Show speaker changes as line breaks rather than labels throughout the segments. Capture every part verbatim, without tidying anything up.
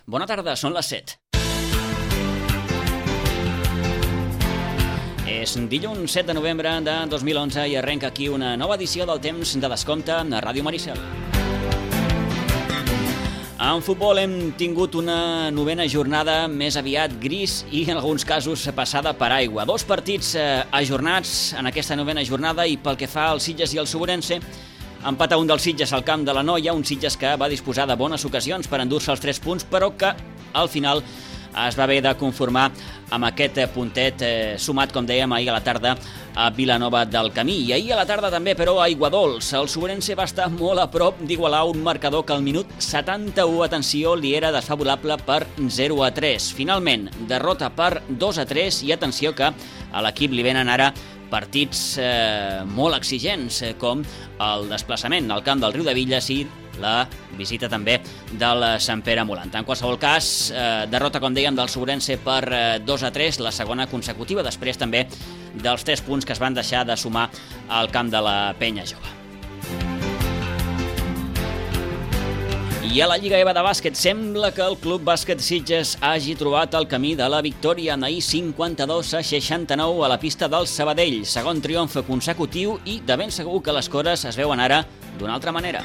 Bona tarda, són les set. És dilluns set de novembre de dos mil onze i arrenca aquí una nova edició del Temps de Descompte a Ràdio Maricel. En futbol hem tingut una novena jornada més aviat gris i en alguns casos passada per aigua. Dos partits eh, ajornats en aquesta novena jornada i pel que fa al Sitges i al Soborense, empata un dels Sitges al camp de la Noia, un Sitges que va disposar de bones ocasions per endur-se els tres punts, però que al final es va haver de conformar amb aquest puntet eh, sumat, com dèiem, ahir a la tarda a Vilanova del Camí. I ahir a la tarda també, però, a Aiguadols. El Soborense va estar molt a prop d'igualar un marcador que al minut setanta-u, atenció, li era desfavorable per zero a tres. Finalment, derrota per dos a tres i atenció que a l'equip li venen ara partits eh, molt exigents, eh, com el desplaçament al camp del Riudebitlles i la visita també del Sant Pere Molant. En qualsevol cas, eh, derrota, com dèiem, del Soborense per eh, dos a tres, la segona consecutiva, després també dels tres punts que es van deixar de sumar al camp de la Penya Jove. I a la Lliga E V A de bàsquet sembla que el Club Bàsquet Sitges hagi trobat el camí de la victòria en ahir cinquanta-dos a seixanta-nou a la pista del Sabadell. Segon triomf consecutiu i de ben segur que les coses es veuen ara d'una altra manera.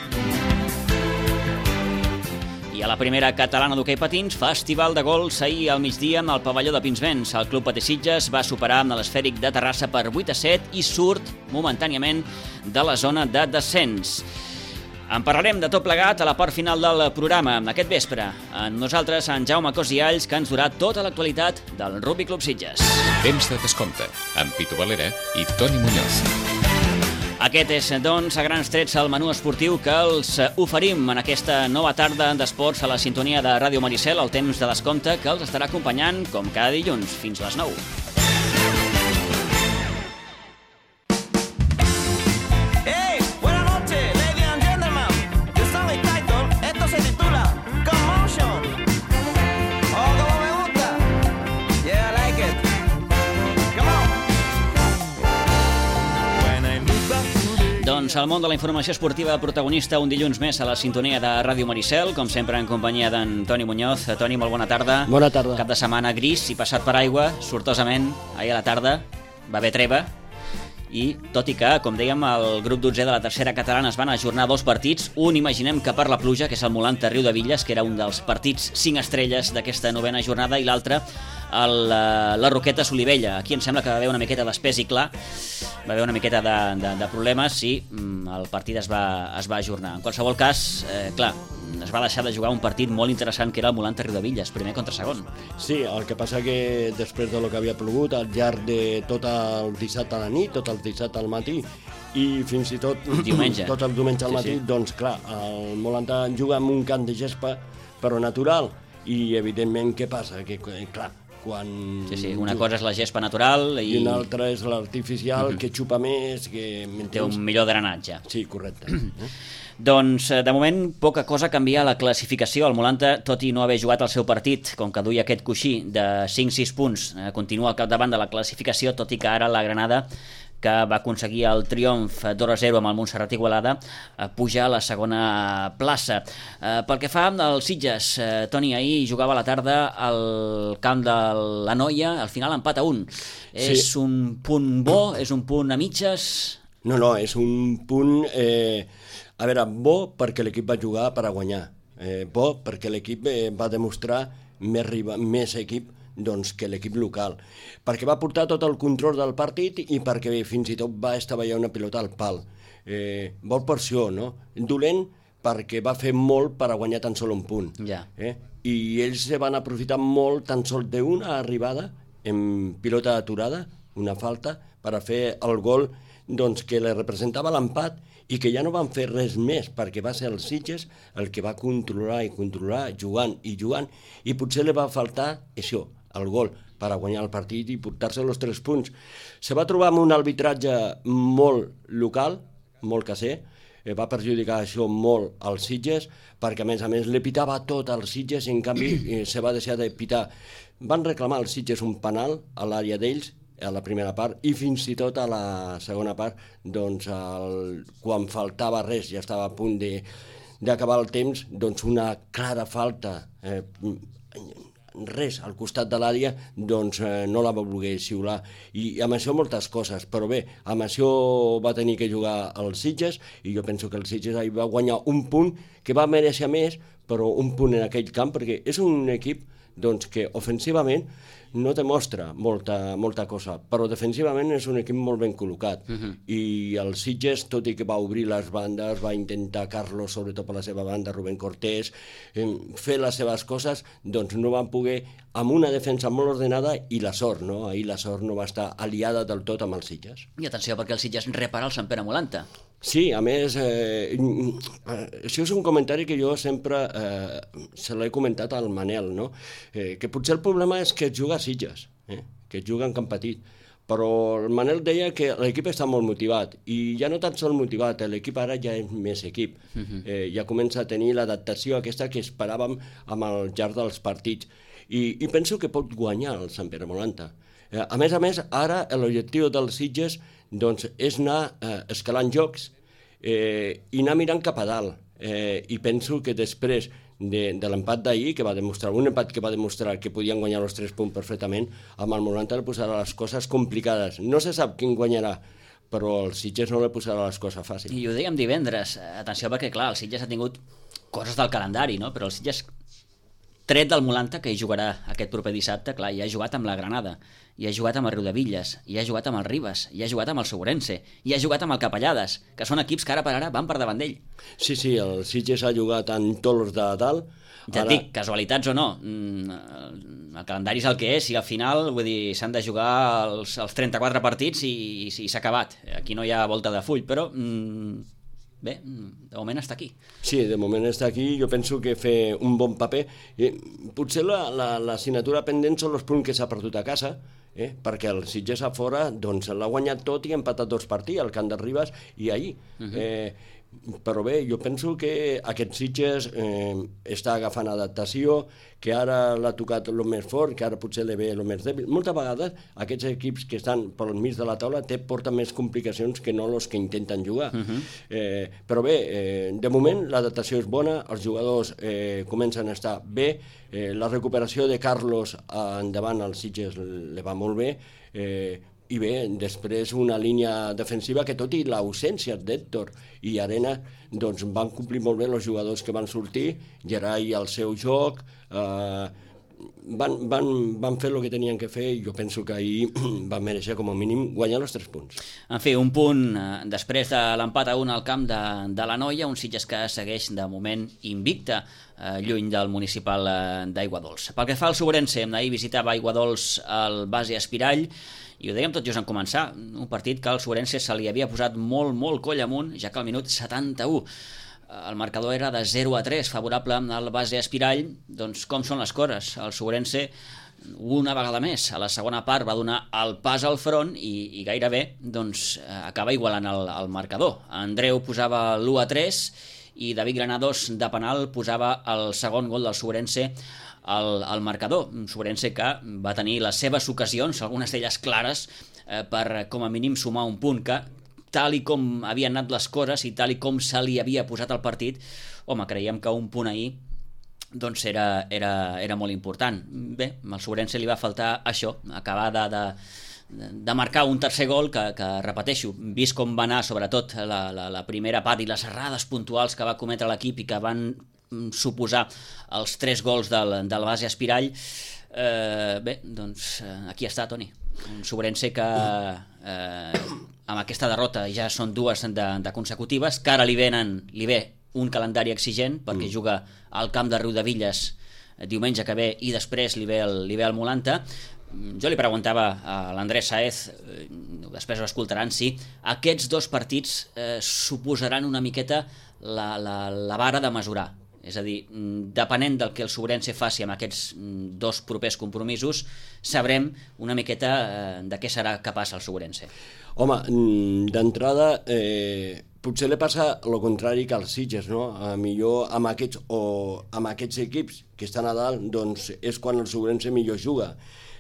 I a la primera catalana d'hoquei patins, festival de gols ahir al migdia al pavelló de Pinsbens. El Club Patí Sitges va superar amb l'Esfèric de Terrassa per vuit a set i surt momentàniament de la zona de descens. En parlarem de tot plegat a la part final del programa aquest vespre. Amb nosaltres, en Jaume Cosialls, que ens durà tota l'actualitat del Rugby Club Sitges.
Temps de descompte, amb Pitu Valera i Toni Muñoz.
Aquest és, doncs, a grans trets el menú esportiu que els oferim en aquesta nova tarda d'esports a la sintonia de Ràdio Maricel, el Temps de Descompte, que els estarà acompanyant, com cada dilluns, fins les nou. Doncs el món de la informació esportiva protagonista un dilluns més a la sintonia de Ràdio Maricel, com sempre en companyia d'en Toni Muñoz. Toni, molt bona tarda.
Bona tarda.
Cap de setmana gris i passat per aigua, sortosament, ahir a la tarda va haver treva i tot i que, com dèiem, el grup dotzè de la tercera catalana es van ajornar dos partits, un imaginem que per la pluja, que és el Molanta Riudebitlles, que era un dels partits cinc estrelles d'aquesta novena jornada, i l'altre el, la Roqueta Solivella. Aquí em sembla que va haver una miqueta d'espès i clar, va haver una miqueta de, de, de problemes i mm, el partit es va, es va ajornar. En qualsevol cas, eh, clar, es va deixar de jugar un partit molt interessant que era el Molanta Riudebitlles, primer contra segon.
Sí, el que passa que després de lo que havia plogut al llarg de tot el dissabte a la nit, tot el dissabte al matí i fins i tot
diumenge.
tot el diumenge al matí, sí, sí. Doncs clar, el Molanta juga en un camp de gespa però natural i evidentment què passa? Que clar, quan...
Sí, sí, una cosa és la gespa natural i...
i una altra és l'artificial, uh-huh, que xupa més, que...
té un millor drenatge.
Sí, correcte.
Doncs, de moment, poca cosa canvia a la classificació. El Molanta, tot i no haver jugat el seu partit, com que duia aquest coixí de cinc sis punts, eh, continua al capdavant de la classificació, tot i que ara la Granada, que va aconseguir el triomf dos a zero amb el Montserrat Igualada, eh, puja a la segona plaça. Eh, pel que fa als Sitges, eh, Toni, ahir jugava a la tarda al camp de la Noia, al final empat a un. Sí. És un punt bo? És un punt a mitges?
No, no, és un punt... Eh, a veure, bo perquè l'equip va jugar per a guanyar. Eh, bo perquè l'equip eh, va demostrar més, riba, més equip doncs, que l'equip local, perquè va portar tot el control del partit i perquè fins i tot va estavellar una pilota al pal. Eh, vol per això, no? Dolent perquè va fer molt per a guanyar tan sol un punt.
Ja.
Eh? I ells se van aprofitar molt tan sol d'una arribada en pilota aturada, una falta, per a fer el gol doncs, que li representava l'empat i que ja no van fer res més perquè va ser el Sitges el que va controlar i controlar, jugant i jugant, i potser li va faltar això, el gol, per a guanyar el partit i portar-se els tres punts. Se va trobar amb un arbitratge molt local, molt caser, eh, va perjudicar això molt als Sitges, perquè a més a més li pitava tot als Sitges i en canvi eh, se va deixar de pitar. Van reclamar als Sitges un penal a l'àrea d'ells, a la primera part, i fins i tot a la segona part, doncs, el, quan faltava res, ja estava a punt de, d'acabar el temps, doncs una clara falta, eh, res al costat de l'àrea, doncs eh, no la va voler xiular. I amb això moltes coses, però bé, amb això va tenir que jugar el Sitges, i jo penso que el Sitges ahir va guanyar un punt que va mereixer més, però un punt en aquell camp, perquè és un equip doncs, que ofensivament no te mostra molta, molta cosa, però defensivament és un equip molt ben col·locat. Uh-huh. I el Sitges, tot i que va obrir les bandes, va intentar Carlos, sobretot per la seva banda, Rubén Cortés, eh, fer les seves coses, doncs no van poder, amb una defensa molt ordenada i la sort, no? Ahir la sort no va estar aliada del tot amb els Sitges.
I atenció, perquè el Sitges repara el Sant Pere Molanta.
Sí, a més, eh, això és un comentari que jo sempre eh, se l'he comentat al Manel, no? Eh, que potser el problema és que es juga a Sitges, eh? que es juga en camp petit, però el Manel deia que l'equip està molt motivat, i ja no tan sol motivat, l'equip ara ja és més equip, uh-huh. eh, ja comença a tenir l'adaptació aquesta que esperàvem amb el llarg dels partits, i, i penso que pot guanyar el Sant Pere Molanta. Eh, a més a més, ara l'objectiu dels Sitges doncs, és anar eh, escalant jocs eh, i anar mirant cap a dalt. Eh, I penso que després de, de l'empat d'ahir, que va demostrar, un empat que va demostrar que podien guanyar els tres punts perfectament, amb el Molanta le posarà les coses complicades. No se sap quin guanyarà, però el Sitges no le posarà les coses fàcils.
I ho dèiem divendres, atenció perquè clar, el Sitges ha tingut coses del calendari, no? Però el Sitges, tret del Molanta, que hi jugarà aquest proper dissabte, clar, hi ha jugat amb la Granada, hi ha jugat amb el Riudevilles, hi ha jugat amb el Ribes, hi ha jugat amb el Segurense, hi ha jugat amb el Capellades, que són equips que ara per ara van per davant d'ell.
Sí, sí, el Sitges ha jugat en tots els de dalt.
Ja et dic, casualitats o no, el calendari és el que és, i al final, vull dir, s'han de jugar els, els trenta-quatre partits i, i, i s'ha acabat. Aquí no hi ha volta de full, però... Mm, bé, de moment està aquí.
Sí, de moment està aquí. Jo penso que fer un bon paper. Eh, potser la, la, la assignatura pendent són els punts que s'ha perdut a casa, eh? perquè el Sitges a fora doncs, l'ha guanyat tot i ha empatat dos partits, al camp de Ribes i ahir. Uh-huh. eh, però bé, jo penso que aquest Sitges eh, està agafant adaptació, que ara l'ha tocat el més fort, que ara potser li ve el més dèbil. Moltes vegades aquests equips que estan pel mig de la taula té, porten més complicacions que no els que intenten jugar. Uh-huh. eh, però bé, eh, de moment l'adaptació és bona, els jugadors eh, comencen a estar bé, eh, la recuperació de Carlos endavant al Sitges li va molt bé, eh, i bé, després una línia defensiva que tot i l'ausència d'Héctor i Arena, doncs van complir molt bé els jugadors que van sortir, Gerai al seu joc, eh, van, van, van fer el que tenien que fer, i jo penso que ahir van mereixer com a mínim guanyar els tres punts.
En fi, un punt eh, després de l'empat a un al camp de, de la Noia, un Sitges que segueix de moment invicte, eh, lluny del municipal eh, d'Aiguadols. Pel que fa al Segurense, ahir visitava Aiguadols al Base Espirall, i ho dèiem tot just en començar, un partit que al Segurense se li havia posat molt, molt coll amunt, ja que al minut setanta-u el marcador era de zero a tres, favorable al Base Espirall. Doncs com són les coses? El Segurense, una vegada més, a la segona part va donar el pas al front i, i gairebé doncs, acaba igualant el, el marcador. Andreu posava l'u a tres i David Granados de penal posava el segon gol del Segurense al, al marcador. Un Segurense que va tenir les seves ocasions, algunes d'elles clares, eh, per com a mínim sumar un punt que, tal i com havien anat les coses i tal i com se li havia posat el partit, home, creiem que un punt ahir doncs era, era, era molt important. Bé, al Segurense li va faltar això, acabar de, de, de marcar un tercer gol que, que repeteixo, vist com va anar sobretot la, la, la primera part i les errades puntuals que va cometre l'equip i que van suposar els tres gols del, del Base Espirall, eh, bé, doncs aquí està, Toni. Un Segurense que eh, amb aquesta derrota ja són dues de, de consecutives, que ara li, venen, li ve un calendari exigent perquè mm. juga al camp de Riudevilles diumenge que ve i després li ve el, li ve el Molanta. Jo li preguntava a l'Andrés Saez, eh, després ho escoltaran, si aquests dos partits eh, suposaran una miqueta la, la, la vara de mesurar. És a dir, depenent del que el Segurense faci amb aquests dos propers compromisos, sabrem una miqueta eh, de què serà capaç el Segurense.
Home, d'entrada, eh, potser li passa el contrari que als Sitges, no? A millor amb aquests, o amb aquests equips que estan a dalt, doncs és quan el Segurense millor juga.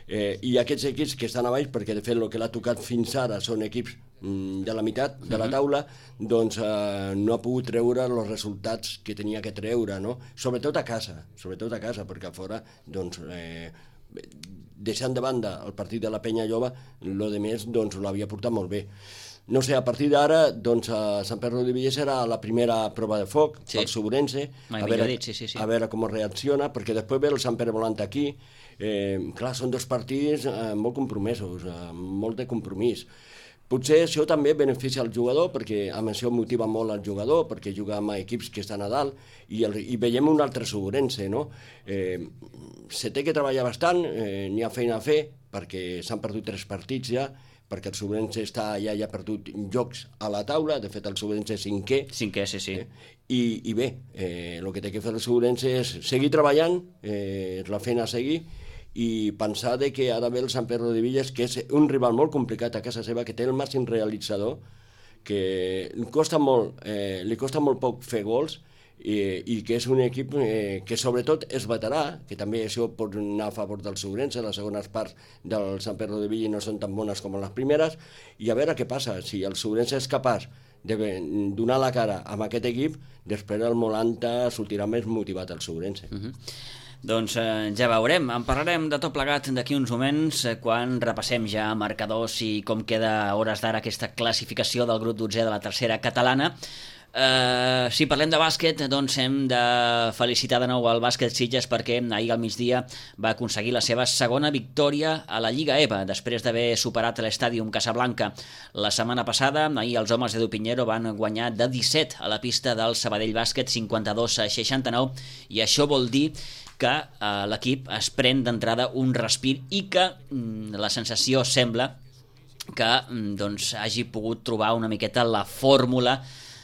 Eh, I aquests equips que estan a baix, perquè de fet el que l'ha tocat fins ara són equips mm, de la meitat de la taula, doncs eh, no ha pogut treure els resultats que tenia que treure, no? Sobretot a casa, sobretot a casa, perquè a fora, doncs, eh, deixant de banda el partit de la Penya Lloba, el de més doncs, l'havia portat molt bé. No sé, a partir d'ara, doncs, a Sant Pere de Villa serà la primera prova de foc, sí. El Sobrense, a veure,
dit, sí, sí, sí.
a veure com reacciona, perquè després ve el Sant Pere volant aquí. Eh, clar, són dos partits eh, molt compromesos, eh, molt de compromís. Potser això també beneficia al jugador, perquè amb això motiva molt al jugador, perquè juga amb equips que estan a dalt, i, el, i veiem un altre Sobrense, no? Eh, se té que treballar bastant, eh, n'hi ha feina a fer, perquè s'han perdut tres partits ja, perquè el Sobrense està allà i ha perdut jocs a la taula, de fet el Sobrense és cinquè.
Cinquè, sí, sí.
Eh? I, I bé, eh, el que té que fer el Sobrense és seguir treballant, eh, és la feina a seguir, i pensar de que ara ve el Sant Pere de Villas, que és un rival molt complicat a casa seva, que té el màxim realitzador, que li costa molt, eh, li costa molt poc fer gols, i, i que és un equip eh, que sobretot és veterà, que també això pot anar a favor del Sobrense, les segones parts del Sant Pere de Villa no són tan bones com les primeres, i a veure què passa, si el Sobrense és capaç de donar la cara amb aquest equip, després el Molanta sortirà més motivat al Sobrense.
Uh-huh. Doncs eh, ja veurem, en parlarem de tot plegat d'aquí uns moments eh, quan repassem ja marcadors i com queda a hores d'ara aquesta classificació del grup dotzè de la tercera catalana. Uh, si parlem de bàsquet, doncs hem de felicitar de nou el bàsquet Sitges perquè ahir al migdia va aconseguir la seva segona victòria a la Lliga E V A després d'haver superat l'Estàdium Casablanca la setmana passada. Ahir els homes d'Edu Pinheiro van guanyar de disset a la pista del Sabadell Bàsquet, cinquanta-dos a seixanta-nou, i això vol dir que uh, l'equip es pren d'entrada un respir i que mm, la sensació sembla que mm, doncs, hagi pogut trobar una miqueta la fórmula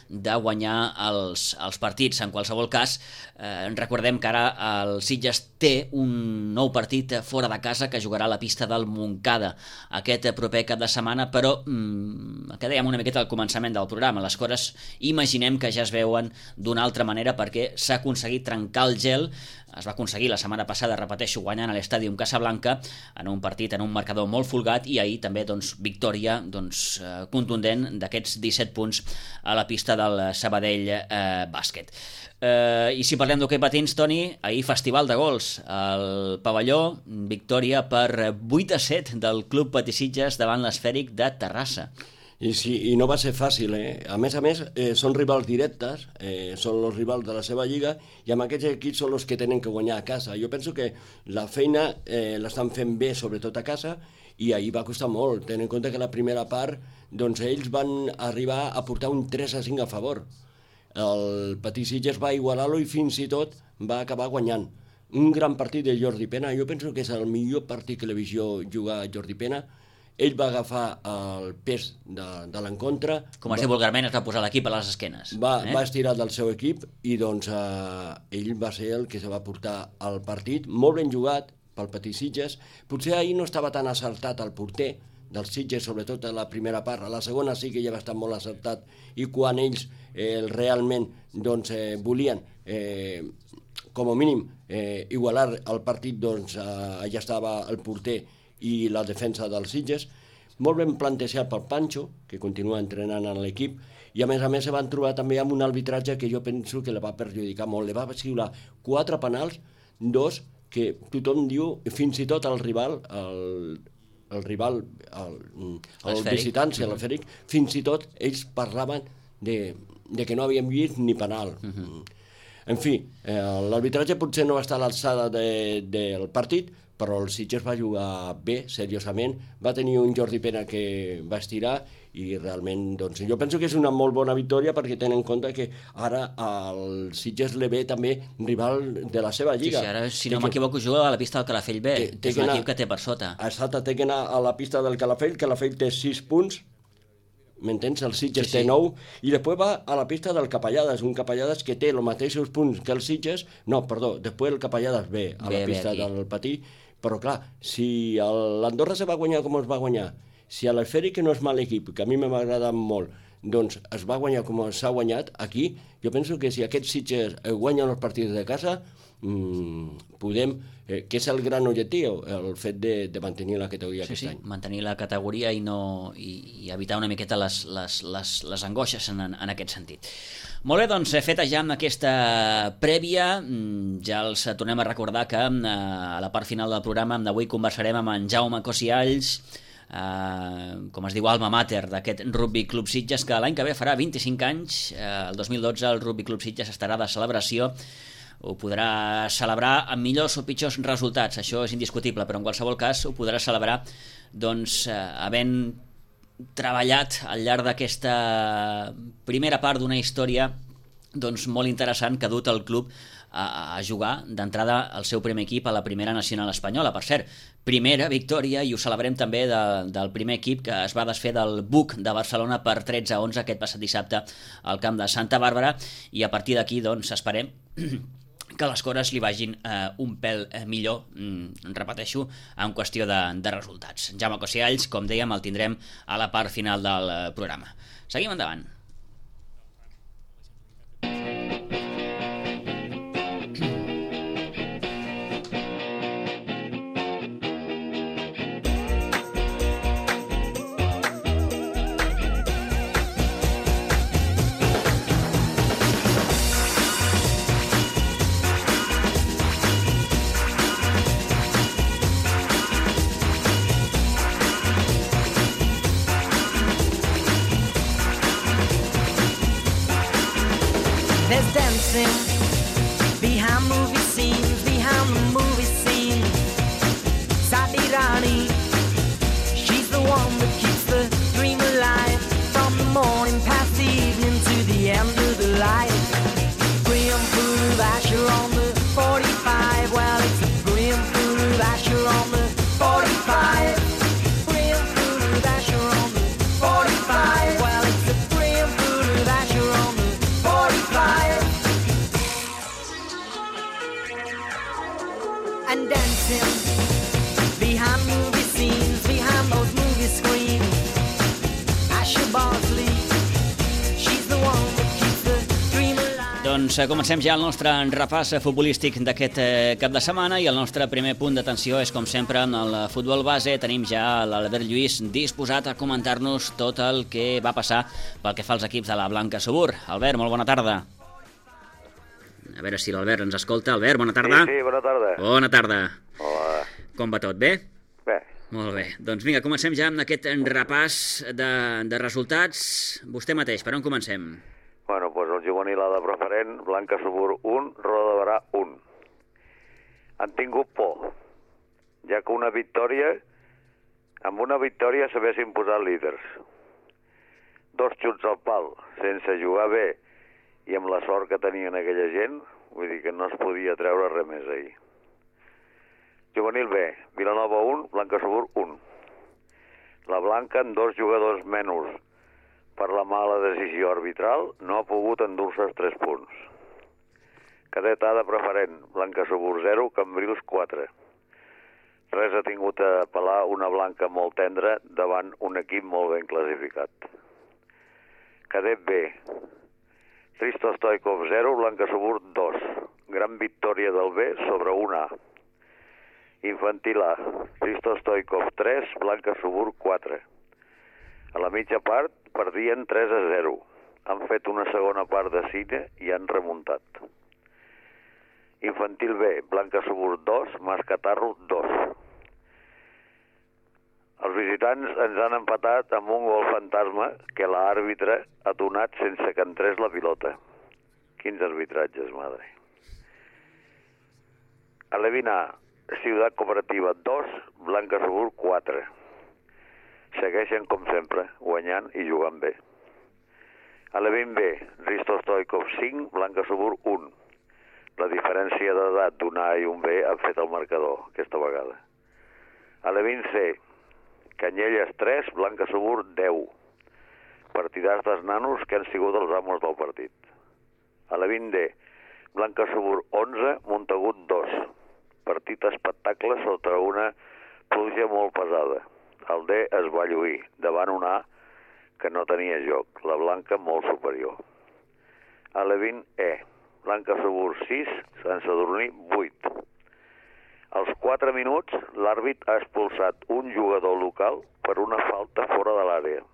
de guanyar els, els partits. En qualsevol cas, eh, recordem que ara el Sitges té un nou partit fora de casa que jugarà a la pista del Montcada aquest proper cap de setmana, però mmm, que dèiem una miqueta al començament del programa, les coses imaginem que ja es veuen d'una altra manera perquè s'ha aconseguit trencar el gel. Es va aconseguir la setmana passada, repeteixo, guanyant a l'Estàdium Casablanca en un partit, en un marcador molt folgat, i ahir també doncs, victòria doncs, contundent d'aquests disset punts a la pista del Sabadell eh, Bàsquet. Eh, I si parlem d'hoquei patins, Toni, ahir festival de gols al pavelló, victòria per vuit a set del Club Patissitges davant l'Esfèric de Terrassa.
I, sí, I no va ser fàcil, eh? A més a més, eh, són rivals directes, eh, són els rivals de la seva lliga, i amb aquests equips són els que tenen que guanyar a casa. Jo penso que la feina eh, l'estan fent bé, sobretot a casa, i ahir va costar molt, tenint en compte que la primera part, doncs ells van arribar a portar un tres a cinc a favor. El Patissitges va igualar-lo i fins i tot va acabar guanyant. Un gran partit de Jordi Pena, jo penso que és el millor partit que l'he vist jo jugar a Jordi Pena. Ell va agafar el pes de, de l'encontre.
Com es diu vulgarment, es va posar l'equip a les esquenes.
Va,
eh?
va estirar del seu equip i doncs eh, ell va ser el que se va portar al partit. Molt ben jugat pel Patissitges. Potser ahir no estava tan acertat el porter dels Sitges, sobretot a la primera part. A la segona sí que ja va estar molt acertat, i quan ells eh, realment doncs, eh, volien eh, com a mínim eh, igualar el partit, doncs eh, allà estava el porter i la defensa dels Sitges, molt ben plantejat pel Pancho, que continua entrenant en l'equip, i a més a més se van trobar també amb un arbitratge que jo penso que la va perjudicar molt. Le va xiular quatre penals, dos que tothom diu, fins i tot el rival, el, el rival, el, el visitant, l'Esfèric, fins i tot ells parlaven de, de que no havien vist ni penal. Uh-huh. En fi, eh, l'arbitratge potser no va estar a l'alçada de, del partit, però el Sitges va jugar bé, seriosament, va tenir un Jordi Pena que va estirar, i realment, doncs, jo penso que és una molt bona victòria perquè tenen en compte que ara el Sitges li ve també rival de la seva lliga.
Sí, sí, ara, si no m'equivoco, juga a la pista del Calafell B, té, té és un anar, equip que té per sota.
Exacte, té que anar a la pista del Calafell, Calafell té sis punts, m'entens? El Sitges
sí, sí.
té nou, i després va a la pista del Capellades, un Capellades que té els mateixos punts que el Sitges, no, perdó, després el Capellades ve a
bé,
la pista
bé
del Patí, però clar, si l'Andorra se va guanyar com es va guanyar, si l'Esfèric, que no és mal equip, que a mi m'ha agradat molt, doncs es va guanyar com s'ha guanyat aquí. Jo penso que si aquests Sitges guanyen els partits de casa, mmm, podem, eh, que és el gran objectiu, el fet de, de mantenir la categoria
sí,
aquest
sí,
any.
Mantenir la categoria i, no, i, i evitar una miqueta les, les, les, les angoixes en, en aquest sentit. Molt bé, doncs, feta ja amb aquesta prèvia, ja els tornem a recordar que a la part final del programa d'avui conversarem amb en Jaume Cosialls, Uh, com es diu, alma mater d'aquest Rugby Club Sitges, que l'any que ve farà vint-i-cinc anys. Uh, el dos mil dotze el Rugby Club Sitges estarà de celebració. Ho podrà celebrar amb millors o pitjors resultats, això és indiscutible, però en qualsevol cas ho podrà celebrar doncs, uh, havent treballat al llarg d'aquesta primera part d'una història doncs, molt interessant que ha dut el club a, a jugar d'entrada al seu primer equip a la primera nacional espanyola. Per cert, primera victòria, i ho celebrem també, de, del primer equip que es va desfer del B U C de Barcelona per tretze a onze aquest passat dissabte al camp de Santa Bàrbara, i a partir d'aquí doncs esperem que les coses li vagin eh, un pèl eh, millor, mm, repeteixo, en qüestió de, de resultats. Jaume Cosialls, com dèiem, el tindrem a la part final del eh, programa. Seguim endavant.
There's dancing behind movie scenes, behind the movie scene. Sadi Rani, she's the one that keeps the dream alive. From the morning past the evening to the end of the light. Brim full of Asher on the forty-five. Well, it's a brim full of Asher on the forty-five. Brim full of Asher on the forty-five. Well, it's a brim full of Asher on the forty-five. And dancing behind movie scenes, behind those movie screens. Asher Bosley, she's the one that keeps the dream alive.
Doncs eh, comencem ja el nostre repàs futbolístic d'aquest eh, cap de setmana, i el nostre primer punt d'atenció és, com sempre, en el futbol base. Tenim ja l'Albert Lluís disposat a comentar-nos tot el que va passar pel que fa als equips de la Blanca Subur. Albert, molt bona tarda. A veure si l'Albert ens escolta. Albert, bona tarda.
Sí, sí, bona tarda.
Bona tarda.
Hola.
Com va tot, bé?
Bé.
Molt bé. Doncs vinga, comencem ja amb aquest repàs de, de resultats. Vostè mateix, per on comencem?
Bueno, doncs el juvenil A de preferent, Blanca Subur un, Roda de Barà un. Han tingut por, ja que una victòria, amb una victòria s'haguessin posat líders. Dos xuts al pal, sense jugar bé, i amb la sort que tenien aquella gent, vull dir que no es podia treure res més ahir. Juvenil B, Vilanova un, Blanca Subur un. La Blanca, amb dos jugadors menys per la mala decisió arbitral, no ha pogut endur-se els tres punts. Cadet A de preferent, Blanca Subur zero, Cambrils quatre. Res ha tingut a apel·lar una Blanca molt tendra davant un equip molt ben classificat. Cadet B, Risto Stoikov zero, Blanca Subur dos. Gran victòria del B sobre un A. Infantil A, Risto Stoikov tres, Blanca Subur quatre. A la mitja part perdien tres a zero. Han fet una segona part de cine i han remuntat. Infantil B, Blanca Subur dos, Mascatarro dos. Els visitants ens han empatat amb un gol fantasma que l'àrbitre ha donat sense que entrés la pilota. Quins arbitratges, madre. A l'Evin A, Ciutat Cooperativa dos, Blanca Subur quatre. Segueixen, com sempre, guanyant i jugant bé. A l'Evin B, Risto Stoikov cinc, Blanca Subur un. La diferència d'edat d'un A i un B ha fet el marcador, aquesta vegada. A l'Evin C, Canyelles tres, Blanca Subur deu. Partidars dels nanos que han sigut els amos del partit. A l'Evin D, Blanca Subur onze, Montagut dos. Partit espectacle sota una pluja molt pesada. El D es va lluir davant un A que no tenia joc. La blanca molt superior. Alevín E. Blanca Subur sis, Sant Sadurní vuit. Als quatre minuts, l'àrbit ha expulsat un jugador local per una falta fora de l'àrea.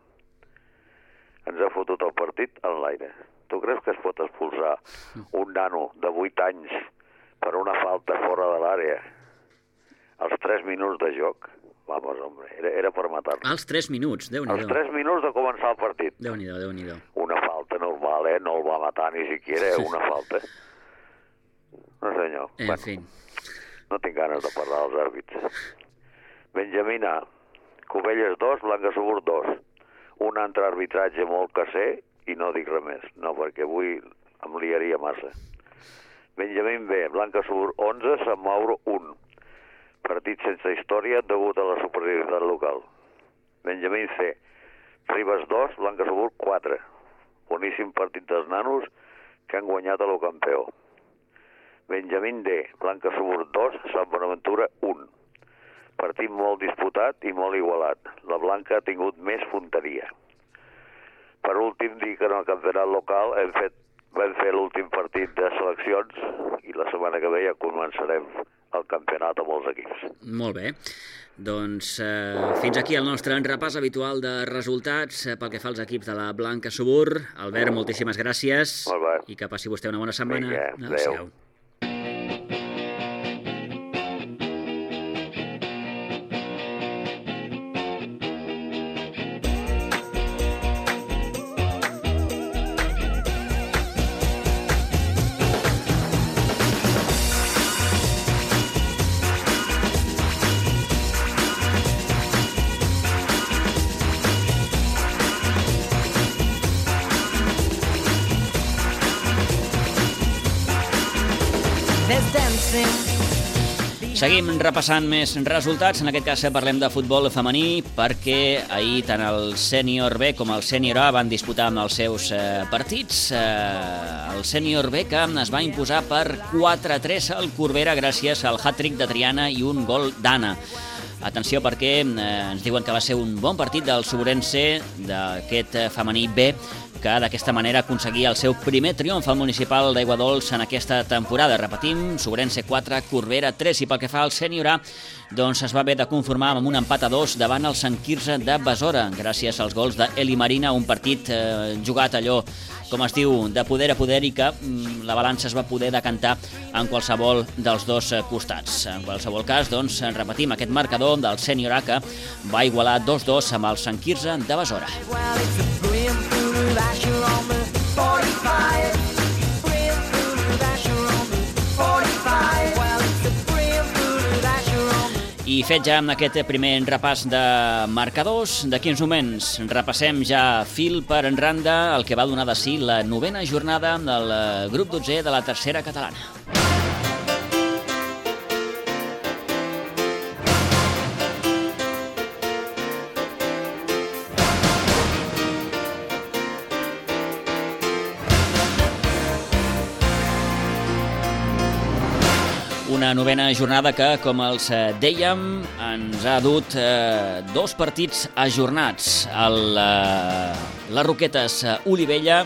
Ens ha fotut el partit en l'aire. Tu creus que es pot expulsar un nano de vuit anys per una falta fora de l'àrea als tres minuts de joc? Vamos, hombre, era, era per matar-nos.
Als tres minuts, Déu-n'hi-do.
Als tres minuts de començar el partit.
Déu-n'hi-do, Déu-n'hi-do.
Una falta normal, eh? No el va matar ni siquiera, una falta. No, senyor.
En
bueno,
fi.
No tinc ganes de parlar dels àrbits. Benjamín A. Cubelles dos, Blanca Subur dos. Un altre arbitratge molt caser i no dic res més. No, perquè avui em liaria massa. Benjamín B. Blanca Subur onze, Sant Mauro un. Partit sense història degut a la superioritat local. Benjamín C. Ribes dos, Blanca Subur quatre. Boníssim partit dels nanos que han guanyat a lo campió. Benjamín D. Blanca Subur dos, Sant Bonaventura un. Partit molt disputat i molt igualat. La Blanca ha tingut més punteria. Per últim, dir que en el campionat local hem fet, vam fer l'últim partit de seleccions i la setmana que ve ja començarem el campionat amb els equips.
Molt bé. Doncs eh, fins aquí el nostre repàs habitual de resultats eh, pel que fa als equips de la Blanca Subur. Albert, moltíssimes gràcies.
Molt bé.
I que passi vostè una bona setmana.
Vinga, adéu.
Seguim repassant més resultats, en aquest cas parlem de futbol femení perquè ahir tant el sènior B com el sènior A van disputar amb els seus eh, partits. Eh, el sènior B que es va imposar per quatre a tres al Corbera gràcies al hat-trick de Triana i un gol d'Anna. Atenció perquè eh, ens diuen que va ser un bon partit del Suburense, d'aquest eh, femení B, que d'aquesta manera aconseguia el seu primer triomf al municipal d'Aiguadols en aquesta temporada. Repetim, Suburense quatre, Corbera tres, i pel que fa al sènior A, doncs es va haver de conformar amb un empat a dos davant el Sant Quirze de Besora, gràcies als gols d'Eli Marina, un partit eh, jugat allò, com es diu, de poder a poder, i que mm, la balança es va poder decantar en qualsevol dels dos costats. En qualsevol cas, doncs, repetim aquest marcador del sènior A que va igualar dos dos amb el Sant Quirze de Besora. I fet ja amb aquest primer repàs de marcadors, d'aquí uns moments repassem ja fil per en randa el que va donar de si la novena jornada del grup dotzè de la tercera catalana. Una novena jornada que, com els dèiem, ens ha dut eh, dos partits ajornats. El, eh, les Roquetes Olivella,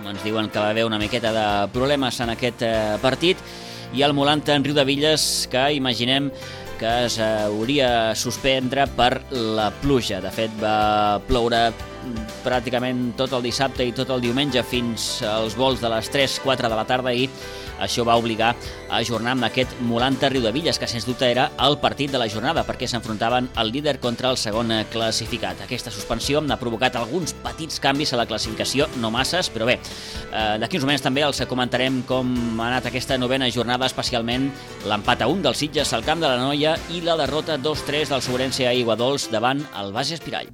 ens diuen que va haver una miqueta de problemes en aquest eh, partit, i el Molanta en Riudevilles, que imaginem que es hauria suspendre per la pluja. De fet, va ploure pràcticament tot el dissabte i tot el diumenge fins als vols de les tres quatre de la tarda, i això va obligar a ajornar amb aquest Molanta Riudevilles, que sens dubte era el partit de la jornada, perquè s'enfrontaven el líder contra el segon classificat. Aquesta suspensió ha provocat alguns petits canvis a la classificació, no masses, però bé, eh, d'aquí uns moments també els comentarem com ha anat aquesta novena jornada, especialment l'empat a un del Sitges al camp de la Noia i la derrota dos tres del Suburense a Aiguadols davant el Bages Espirall.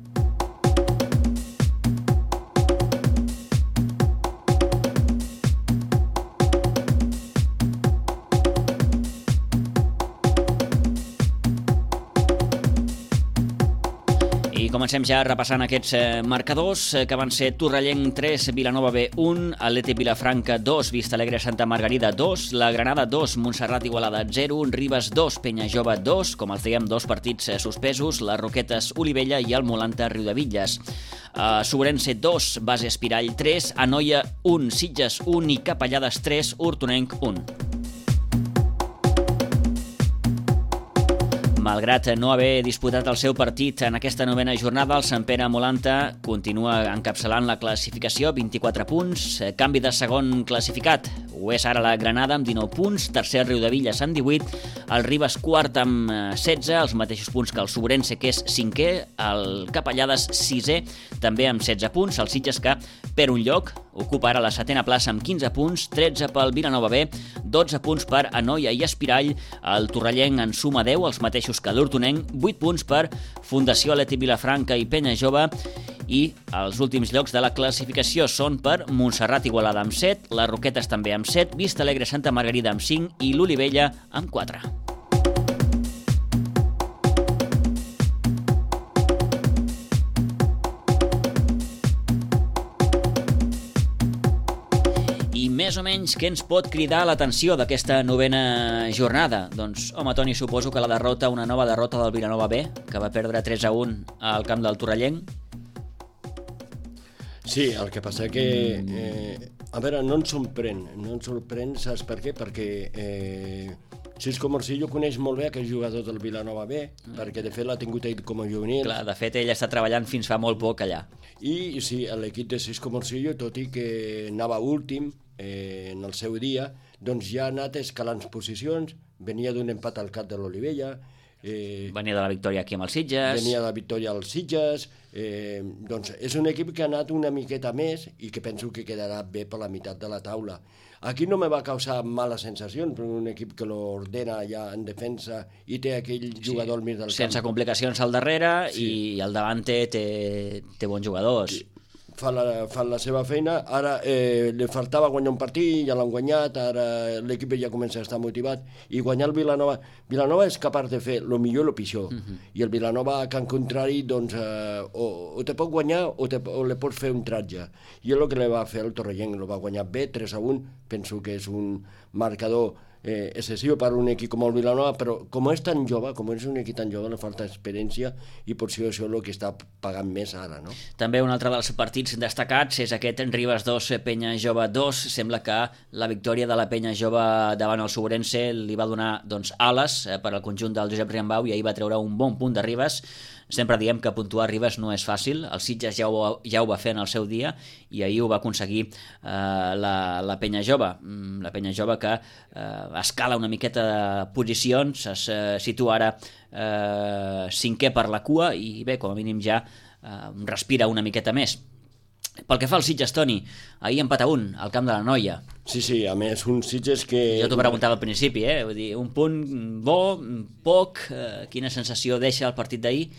com comencem ja repassant aquests eh, marcadors, eh, que van ser Torrellenc tres, Vilanova B un, Atlètic Vilafranca dos, Vista Alegre Santa Margarida dos, la Granada dos, Montserrat Igualada zero, Ribes dos, Penyajove dos, com els dèiem, dos partits eh, suspesos, les Roquetes Olivella i el Molanta Riudebitlles. Uh, Sobrense dos, Base Espirall tres, Anoia un, Sitges un i Capellades tres, Hortonenc un. Malgrat no haver disputat el seu partit en aquesta novena jornada, el Sant Pere Molanta continua encapçalant la classificació, vint-i-quatre punts, canvi de segon classificat. Ho és ara la Granada amb dinou punts, tercer Riudebitlles amb divuit, el Ribes quart amb setze, els mateixos punts que el Sobrense, que és cinquè, el Capellades sisè, també amb setze punts, el Sitges que per un lloc ocupa ara la setena plaça amb quinze punts, tretze pel Vilanova B, dotze punts per Anoia i Espirall, el Torrellenc en suma deu, els mateixos que l'Hortonenc, vuit punts per Fundació Atlètic Vilafranca i Penyajove, i els últims llocs de la classificació són per Montserrat Igualada amb set, les Roquetes també amb set, Vista Alegre Santa Margarida amb cinc i l'Olivella amb quatre. I més o menys què ens pot cridar l'atenció d'aquesta novena jornada? Doncs, home, Toni, suposo que la derrota, una nova derrota del Vilanova B, que va perdre tres a un al camp del Torrellenc.
Sí, el que passa que... Eh, a veure, no ens sorprèn, no ens sorprèn, saps per què? Perquè eh, Xisco Morcillo coneix molt bé aquell jugador del Vilanova B, mm. perquè de fet l'ha tingut ell com a juvenil.
Clar, de fet ell està treballant fins fa molt poc allà.
I sí, l'equip de Xisco Morcillo, tot i que anava últim eh, en el seu dia, doncs ja ha anat escalant posicions, venia d'un empat al cap de l'Olivella, Eh,
venia de la victòria aquí amb els Sitges.
Venia de la victòria als Sitges. Eh, doncs és un equip que ha anat una miqueta més i que penso que quedarà bé per la meitat de la taula. Aquí no me va causar males sensacions, però un equip que l'ordena ja en defensa i té aquell jugador sí, al mig del camp.
Sense complicacions al darrere, sí. I al davant té, té, té bons jugadors. Sí.
Fan la, fan la seva feina. Ara eh, li faltava guanyar un partit, ja l'han guanyat, ara l'equip ja comença a estar motivat, i guanyar el Vilanova. Vilanova és capaç de fer el millor i el pitjor, uh-huh. i el Vilanova, que en contrari, doncs, eh, o, o te pot guanyar o, te, o le pots fer un tratge. I és el que li va fer el Torrellenc, el va guanyar bé, tres a un, penso que és un marcador eh, excessiu per un equip com el Vilanova, però com és tan jove, com és un equip tan jove, li falta experiència i potser això és el que està pagant més ara, no?
També un altre dels partits destacats és aquest Ribes dos, Penyajove dos. Sembla que la victòria de la Penyajove davant el Sobrense li va donar doncs, ales eh, per al conjunt del Josep Riambau, i ahir va treure un bon punt de Ribes. Sempre diem que puntuar Ribes no és fàcil, el Sitges ja ho, ja ho va fer en el seu dia i ahir ho va aconseguir eh, la, la Penyajove, la Penyajove que eh, escala una miqueta de posicions, es eh, situa ara eh, cinquè per la cua i bé, com a mínim ja eh, respira una miqueta més. Pel que fa al Sitges, Toni, ahir empat a un al camp de la Noia.
Sí, sí, a més, un Sitges que...
Jo t'ho preguntava al principi, eh? Vull dir, un punt bo, poc, eh, quina sensació deixa el partit d'ahir?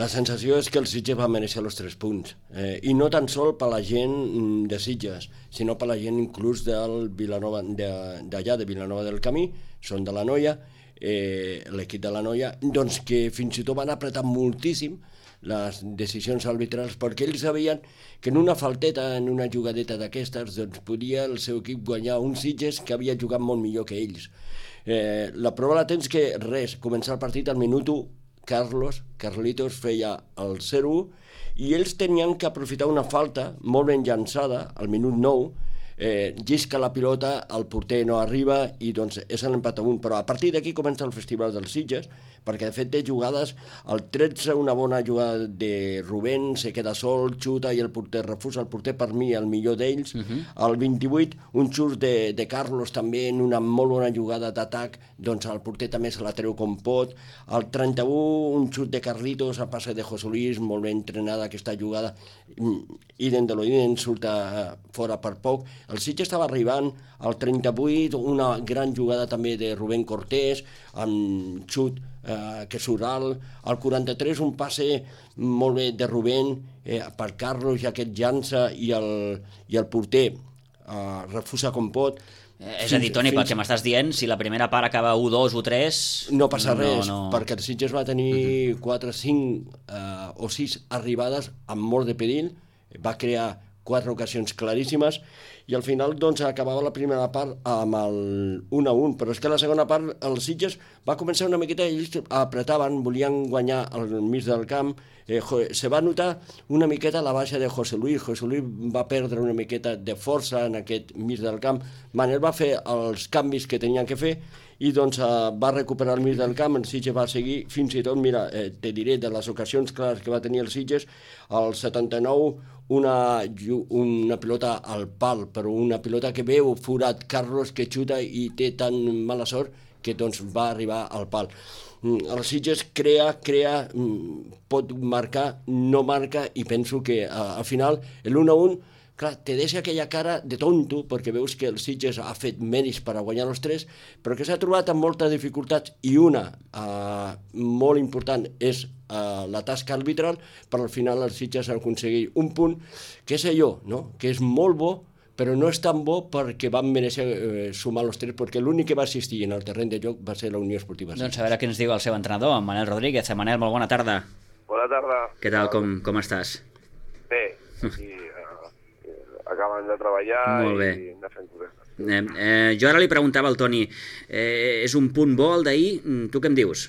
La sensació és que el Sitges va mereixer els tres punts, eh, i no tan sol per la gent de Sitges, sinó per la gent inclús del Vilanova, d'allà, de Vilanova del Camí, són de la Noia, eh, l'equip de la Noia, doncs que fins i tot van apretar moltíssim les decisions arbitrals, perquè ells sabien que en una falteta, en una jugadeta d'aquestes, doncs podia el seu equip guanyar un Sitges que havia jugat molt millor que ells. Eh, la prova la tens que res, començar el partit al minut u, Carlos, Carlitos feia el zero u i ells tenien que aprofitar una falta molt ben llançada al minut nou, eh, llisca la pilota, el porter no arriba i doncs és l'empat a un, però a partir d'aquí comença el festival dels Sitges, perquè de fet té jugades, el tretze una bona jugada de Rubén, se queda sol, xuta i el porter refusa, el porter per mi el millor d'ells, uh-huh. El vint-i-vuit un xut de, de Carlos també en una molt bona jugada d'atac, doncs el porter també se la treu com pot, el trenta-u un xut de Carlitos a passe de José Luis, molt ben entrenada aquesta jugada, idem de l'idem, surta fora per poc. El Sitges estava arribant al trenta-vuit, una gran jugada també de Rubén Cortés, amb xut eh, que surt alt, al quaranta-tres un passe molt bé de Rubén eh, per Carlos, i aquest llança i el, i el porter uh, refusa com pot.
Eh, és a dir, Toni, fins... pel que m'estàs dient, si la primera part acaba u dos u tres...
No passa res,
no, no...
perquè el Sitges va tenir quatre, cinc uh, o sis arribades amb molt de perill, va crear quatre ocasions claríssimes, i al final doncs acabava la primera part amb el un a un, però és que la segona part els Sitges va començar una miqueta, ells apretaven, volien guanyar al mig del camp, eh, se va notar una miqueta la baixa de José Luis, José Luis va perdre una miqueta de força en aquest mig del camp, Manel va fer els canvis que tenien que fer, i doncs eh, va recuperar el mig del camp, el Sitges va seguir, fins i tot, mira, eh, te diré, de les ocasions clares que va tenir el Sitges, al setanta-nou, una, una pilota al pal, però una pilota que veu forat Carlos, que xuta i té tan mala sort que doncs va arribar al pal. El Sitges crea, crea, pot marcar, no marca, i penso que al final l'un a un, clar, te deixa aquella cara de tonto, perquè veus que el Sitges ha fet mèrits per a guanyar els tres, però que s'ha trobat amb moltes dificultats, i una eh, molt important és eh, la tasca arbitral, però al final el Sitges ha aconseguit un punt, que és allò, no? Que és molt bo, però no és tan bo perquè van mereixer eh, sumar els tres, perquè l'únic que va assistir en el terreny de joc va ser la Unió Esportiva.
Doncs a veure què ens diu el seu entrenador, en Manel Rodríguez. Manel, molt bona tarda.
Bona tarda.
Què tal, com, com estàs?
Bé, i, uh, acabant de treballar i de fent coses.
Eh, eh, jo ara li preguntava al Toni, eh, és un punt bo el d'ahir? Tu què em dius?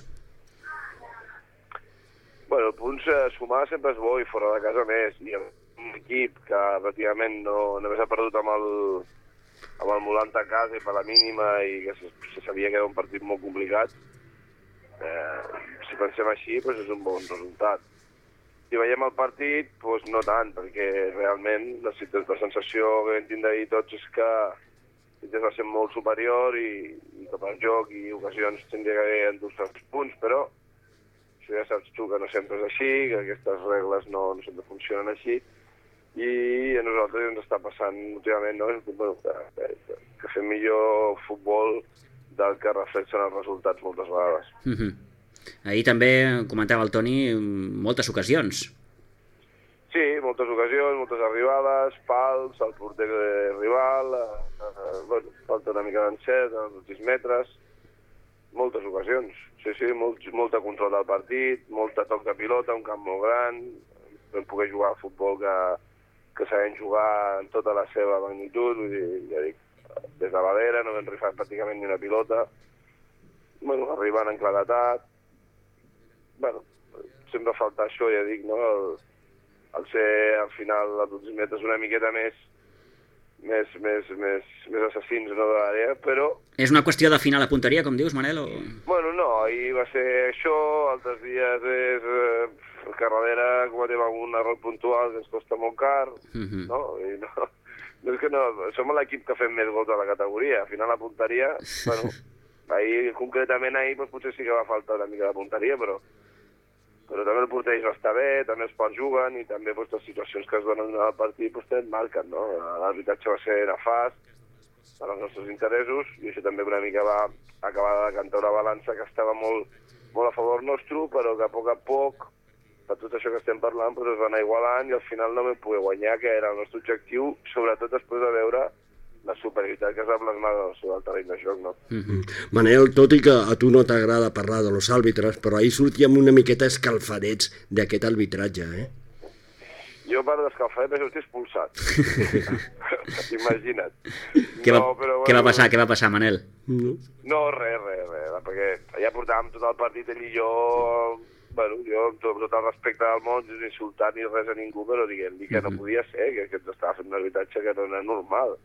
Bueno, punts eh, sumar sempre és bo, i fora de casa més, i un equip que pràcticament no, només ha perdut amb el, amb el Molant a casa i per la mínima, i que se, se sabia que era un partit molt complicat. Eh, si pensem així, doncs és un bon resultat. Si veiem el partit, doncs no tant, perquè realment la, la sensació que vam tindre ahir tots és que Sitges va ser molt superior, i, i cap al joc i ocasions tindria que haver endut els punts, però això ja saps tu que no sempre és així, que aquestes regles no, no sempre funcionen així, i a nosaltres ens està passant últimament, no? que, que, que fem millor futbol del que reflexen els resultats moltes vegades.
Mm-hmm. Ahir també comentava el Toni moltes ocasions.
Sí, moltes ocasions, moltes arribades, pals, el porter rival, eh, eh, bueno, falta una mica d'encert, als últims metres, moltes ocasions. Sí, sí, molt, molta control del partit, molta toc de pilota, un camp molt gran, vam poder jugar al futbol que, que sabem jugar en tota la seva magnitud, vull dir, ja dic, des de l'Alera no vam rifar pràcticament ni una pilota, bueno, arribant en claretat, bueno, sempre falta això, ja dic, no?, el, el ser al final als últims metres una miqueta més més, més, més, més assassins, no, de l'àrea, però...
És una qüestió d'afinar la punteria, com dius, Manel? O...
Bueno, no, ahir va ser això, altres dies és eh, que darrere cometem algun error puntual que ens costa molt car, uh-huh. no? I no, no és que no, som l'equip que fem més gols de la categoria, afinar la punteria, bueno, ahir, concretament ahir, doncs, potser sí que va faltar una mica de punteria, però però també el porter va estar bé, també els ports juguen, i també doncs, les situacions que es donen al partit doncs, et marquen, no? L'arbitratge va ser nefast per als nostres interessos, i això també una mica va acabar de cantar una balança que estava molt, molt a favor nostre, però que a poc a poc, per tot això que estem parlant, doncs, es va anar igualant, i al final no vam poder guanyar, que era el nostre objectiu, sobretot després de veure la superioritat que es va plasmar sobre el terreny de joc, no?
Mm-hmm. Manel, tot i que a tu no t'agrada parlar de los àrbitres, però ahir sortíem una miqueta escalfadets d'aquest arbitratge, eh?
Jo, per d'escalfadet, vaig sortir expulsat. Imagina't.
Què va, no, però, què bueno, va passar, què va passar, Manel?
No, no res, res, res, perquè allà portàvem tot el partit, ell i jo, bueno, jo, amb tot, tot el respecte del món, sense insultar ni res a ningú, però diguem-li que no podia ser, que, que estava fent un arbitratge que no era normal.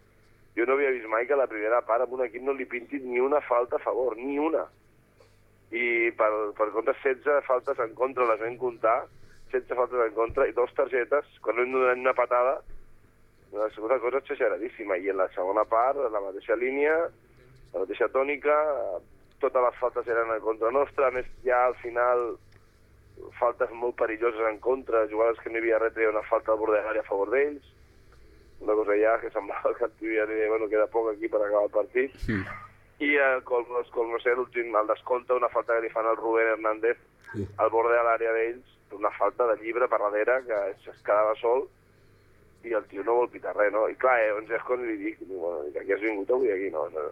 Jo no havia vist mai que a la primera part amb un equip no li pintin ni una falta a favor, ni una. I per, per compte setze faltes en contra les vam comptar, setze faltes en contra i dos targetes, quan vam donar una patada, una segona cosa exageradíssima. I en la segona part, la mateixa línia, la mateixa tònica, totes les faltes eren en contra nostra, a més ja al final faltes molt perilloses en contra, jugades que no hi havia res, treia una falta al bord de l'àrea a favor d'ells, una cosa ja que semblava que ja li deia, bueno, queda poc aquí per acabar el partit. Mm. I el colmo, colmo ser l'últim, el descompte, una falta que li fan al Rubén Hernández al bord de l'àrea d'ells, una falta de llibre per darrere, que es quedava sol, i el tio no vol pitar res, no? I clar, eh, llavors és quan li dic, bueno, aquí has vingut avui aquí, no? No,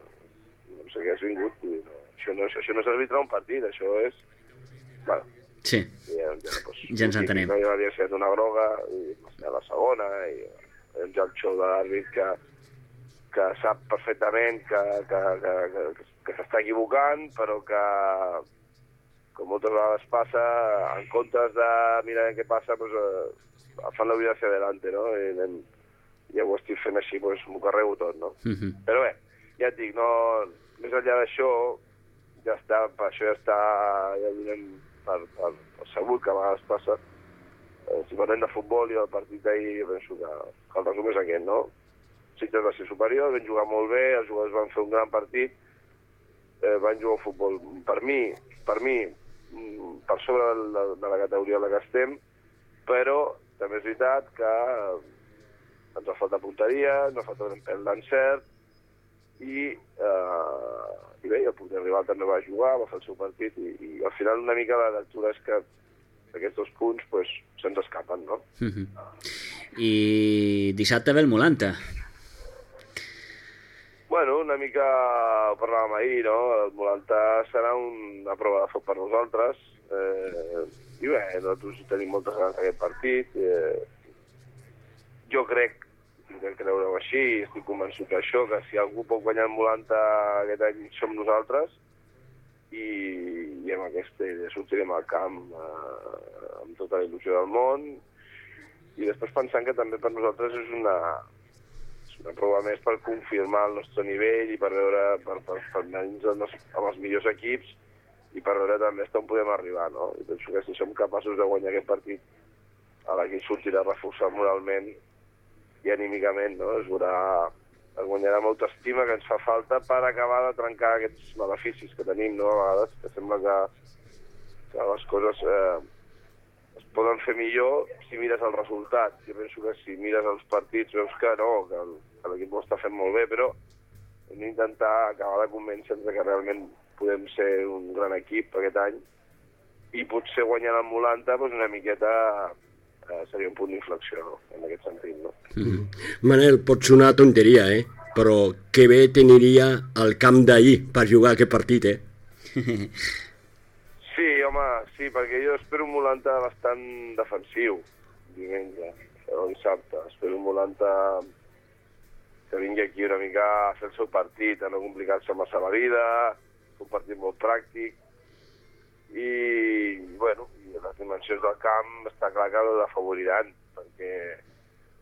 no sé què has vingut, no. Això, no, això no és arbitrar un partit, això és... Bueno,
sí,
ja, ja, doncs,
ja ens entenem.
No hi havia set una groga, i a la segona, i ja el xou de l'àrbit que, que sap perfectament que, que, que, que, que s'està equivocant, però que, com moltes vegades passa, en comptes de mirar què passa, doncs, eh, fan la vida hacia adelante, no? I anem, ja ho estic fent així, doncs m'ho carrego tot, no? Uh -huh. Però bé, ja et dic, no, més enllà d'això, ja està, per això ja està, ja donem per, per, per segur que a vegades passa. Eh, si parlem de futbol i del partit d'ahir, penso que, que el resum és aquest, no? Sitges va ser superior, van jugar molt bé, els jugadors van fer un gran partit, eh, van jugar al futbol. Per mi, per mi, per sobre de la, de la categoria en la que estem, però també és veritat que ens ha faltat punteria, ens ha faltat un pèl d'encert, i, eh, i bé, el porter rival també va jugar, va fer el seu partit, i, i al final una mica la lectura és que aquests dos punts pues, se'ns escapen, no?
Uh-huh. I dissabte ve el Molanta.
Bueno, una mica ho parlàvem ahir, no? El Molanta serà una prova de foc per nosaltres. Eh, I bé, nosaltres tenim moltes ganes d'aquest partit. Eh, jo crec, que creure-ho així, estic convençut d'això, que si algú pot guanyar el Molanta aquest any som nosaltres, i, i amb aquesta idea sortirem al camp eh, amb tota la il·lusió del món, i després pensant que també per nosaltres és una, és una prova més per confirmar el nostre nivell i per veure, per, per, per anar-nos amb els millors equips i per veure també on podem arribar, no? I penso que si som capaços de guanyar aquest partit, a l'equip sortirà reforçat moralment i anímicament, no? Es veurà, es guanyarà amb autoestima que ens fa falta per acabar de trencar aquests maleficis que tenim, no? A vegades que sembla que, que les coses eh, es poden fer millor si mires el resultat. Jo penso que si mires els partits veus que no, que, que l'equip ho està fent molt bé, però hem d'intentar acabar de convèncer-nos que realment podem ser un gran equip aquest any i potser guanyant el Molanta doncs una miqueta eh, seria un punt d'inflexió, no? En aquest sentit, no?
Mm-hmm. Manel, pot sonar tonteria, eh? Però que bé teniria el camp d'ahir per jugar aquest partit, eh?
Sí, home, sí, perquè jo espero un Molanta bastant defensiu, diumenge, o dissabte. Espero un Molanta que vingui aquí una mica a fer el seu partit, a no complicar-se massa la vida, un partit molt pràctic, i, bueno, i les dimensions del camp està clar que l'afavoriran, perquè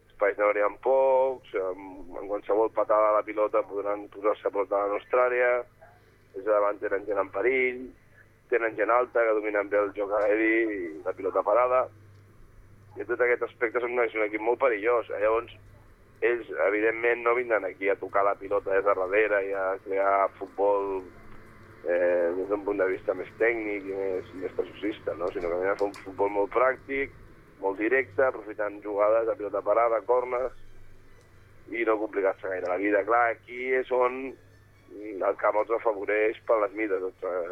espais n'haurien pocs, en qualsevol patada a la pilota podran posar-se a portar a la nostra àrea, des de davant tenen gent en perill, tenen gent alta que dominen bé el joc aeri i la pilota parada, i en tot aquest aspecte és un equip molt perillós. Llavors, ells, evidentment, no vindran aquí a tocar la pilota des de darrere i a crear futbol eh, des d'un punt de vista més tècnic i més, més preciosista, no? Sinó que vindran a fer un futbol molt pràctic, molt directe, aprofitant jugades de pilota parada, corners, i no complicar-se gaire la vida. Clar, aquí és on el camp els afavoreix per les mides del,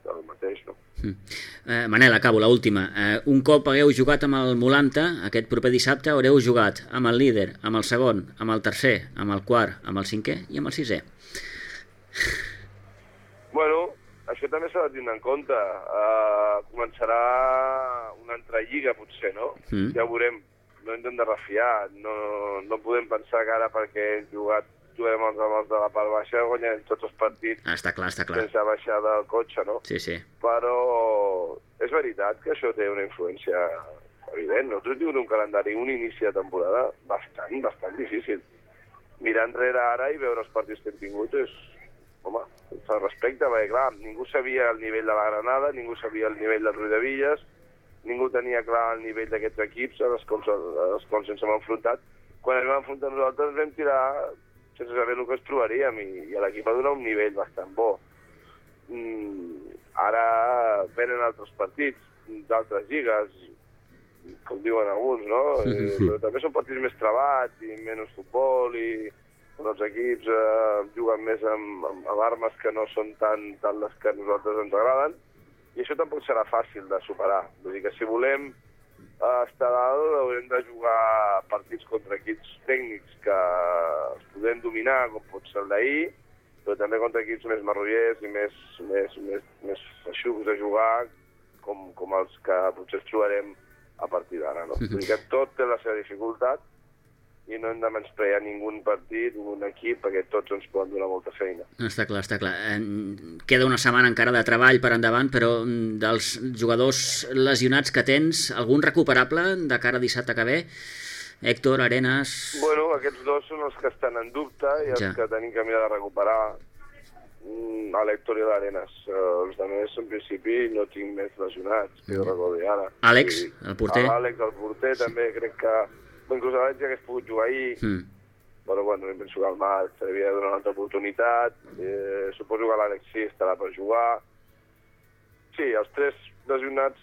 del mateix, no?
Mm. Eh, Manel, acabo, l'última. Eh, un cop hagueu jugat amb el Molanta, aquest proper dissabte haureu jugat amb el líder, amb el segon, amb el tercer, amb el quart, amb el cinquè i amb el sisè.
Bueno, això també s'ha de tenir en compte. Uh, començarà una altra lliga, potser, no? Mm. Ja ho veurem. No hem de refiar. No, no podem pensar que ara perquè hem jugat juguem els amb els de la part baixa, guanyem tots els partits
ah, està clar, està clar.
sense baixar del cotxe, no?
Sí, sí.
Però és veritat que això té una influència evident. Nosaltres tenim un calendari, un inici de temporada bastant, bastant difícil. Mirar enrere ara i veure els partits que hem tingut és, home, sense respecte, perquè clar, ningú sabia el nivell de la Granada, ningú sabia el nivell del Riudevilles, ningú tenia clar el nivell d'aquests equips als quals, als quals ens hem enfrontat. Quan ens vam enfrontar nosaltres vam tirar sense saber el que ens trobaríem, i, i l'equip va donar un nivell bastant bo. Mm, ara venen altres partits, d'altres lligues, com diuen alguns, no? Sí, sí, sí. Però també són partits més trebats i menys futbol, i els equips eh, juguen més amb, amb, amb armes que no són tan, tan les que a nosaltres ens agraden, i això tampoc serà fàcil de superar. Vull dir que si volem a estar dalt haurem de jugar partits contra equips tècnics que els podem dominar, com pot ser el d'ahir, però també contra equips més marrollers i més, més, més, més feixucs de jugar, com, com els que potser ens trobarem a partir d'ara. No? Vull dir que tot té la seva dificultat i no hem de menysprear ningú partit, un equip, perquè tots ens poden donar molta feina.
Està clar, està clar. Queda una setmana encara de treball per endavant, però dels jugadors lesionats que tens, algun recuperable de cara a dissabte que ve? Héctor, Arenas...
Bueno, aquests dos són els que estan en dubte i els ja. que tenim que mirar de recuperar, a l'Héctor i l'Arenas. Els altres, en principi, no tinc més lesionats, que jo recordi ara.
Àlex, el porter?
Àlex, el porter, també crec que... Inclús l'Àlex ja hagués pogut jugar ahir, mm. però bueno, no penso que el Marc se li havia de donar una altra oportunitat. Eh, suposo que l'Àlex sí estarà per jugar. Sí, els tres lesionats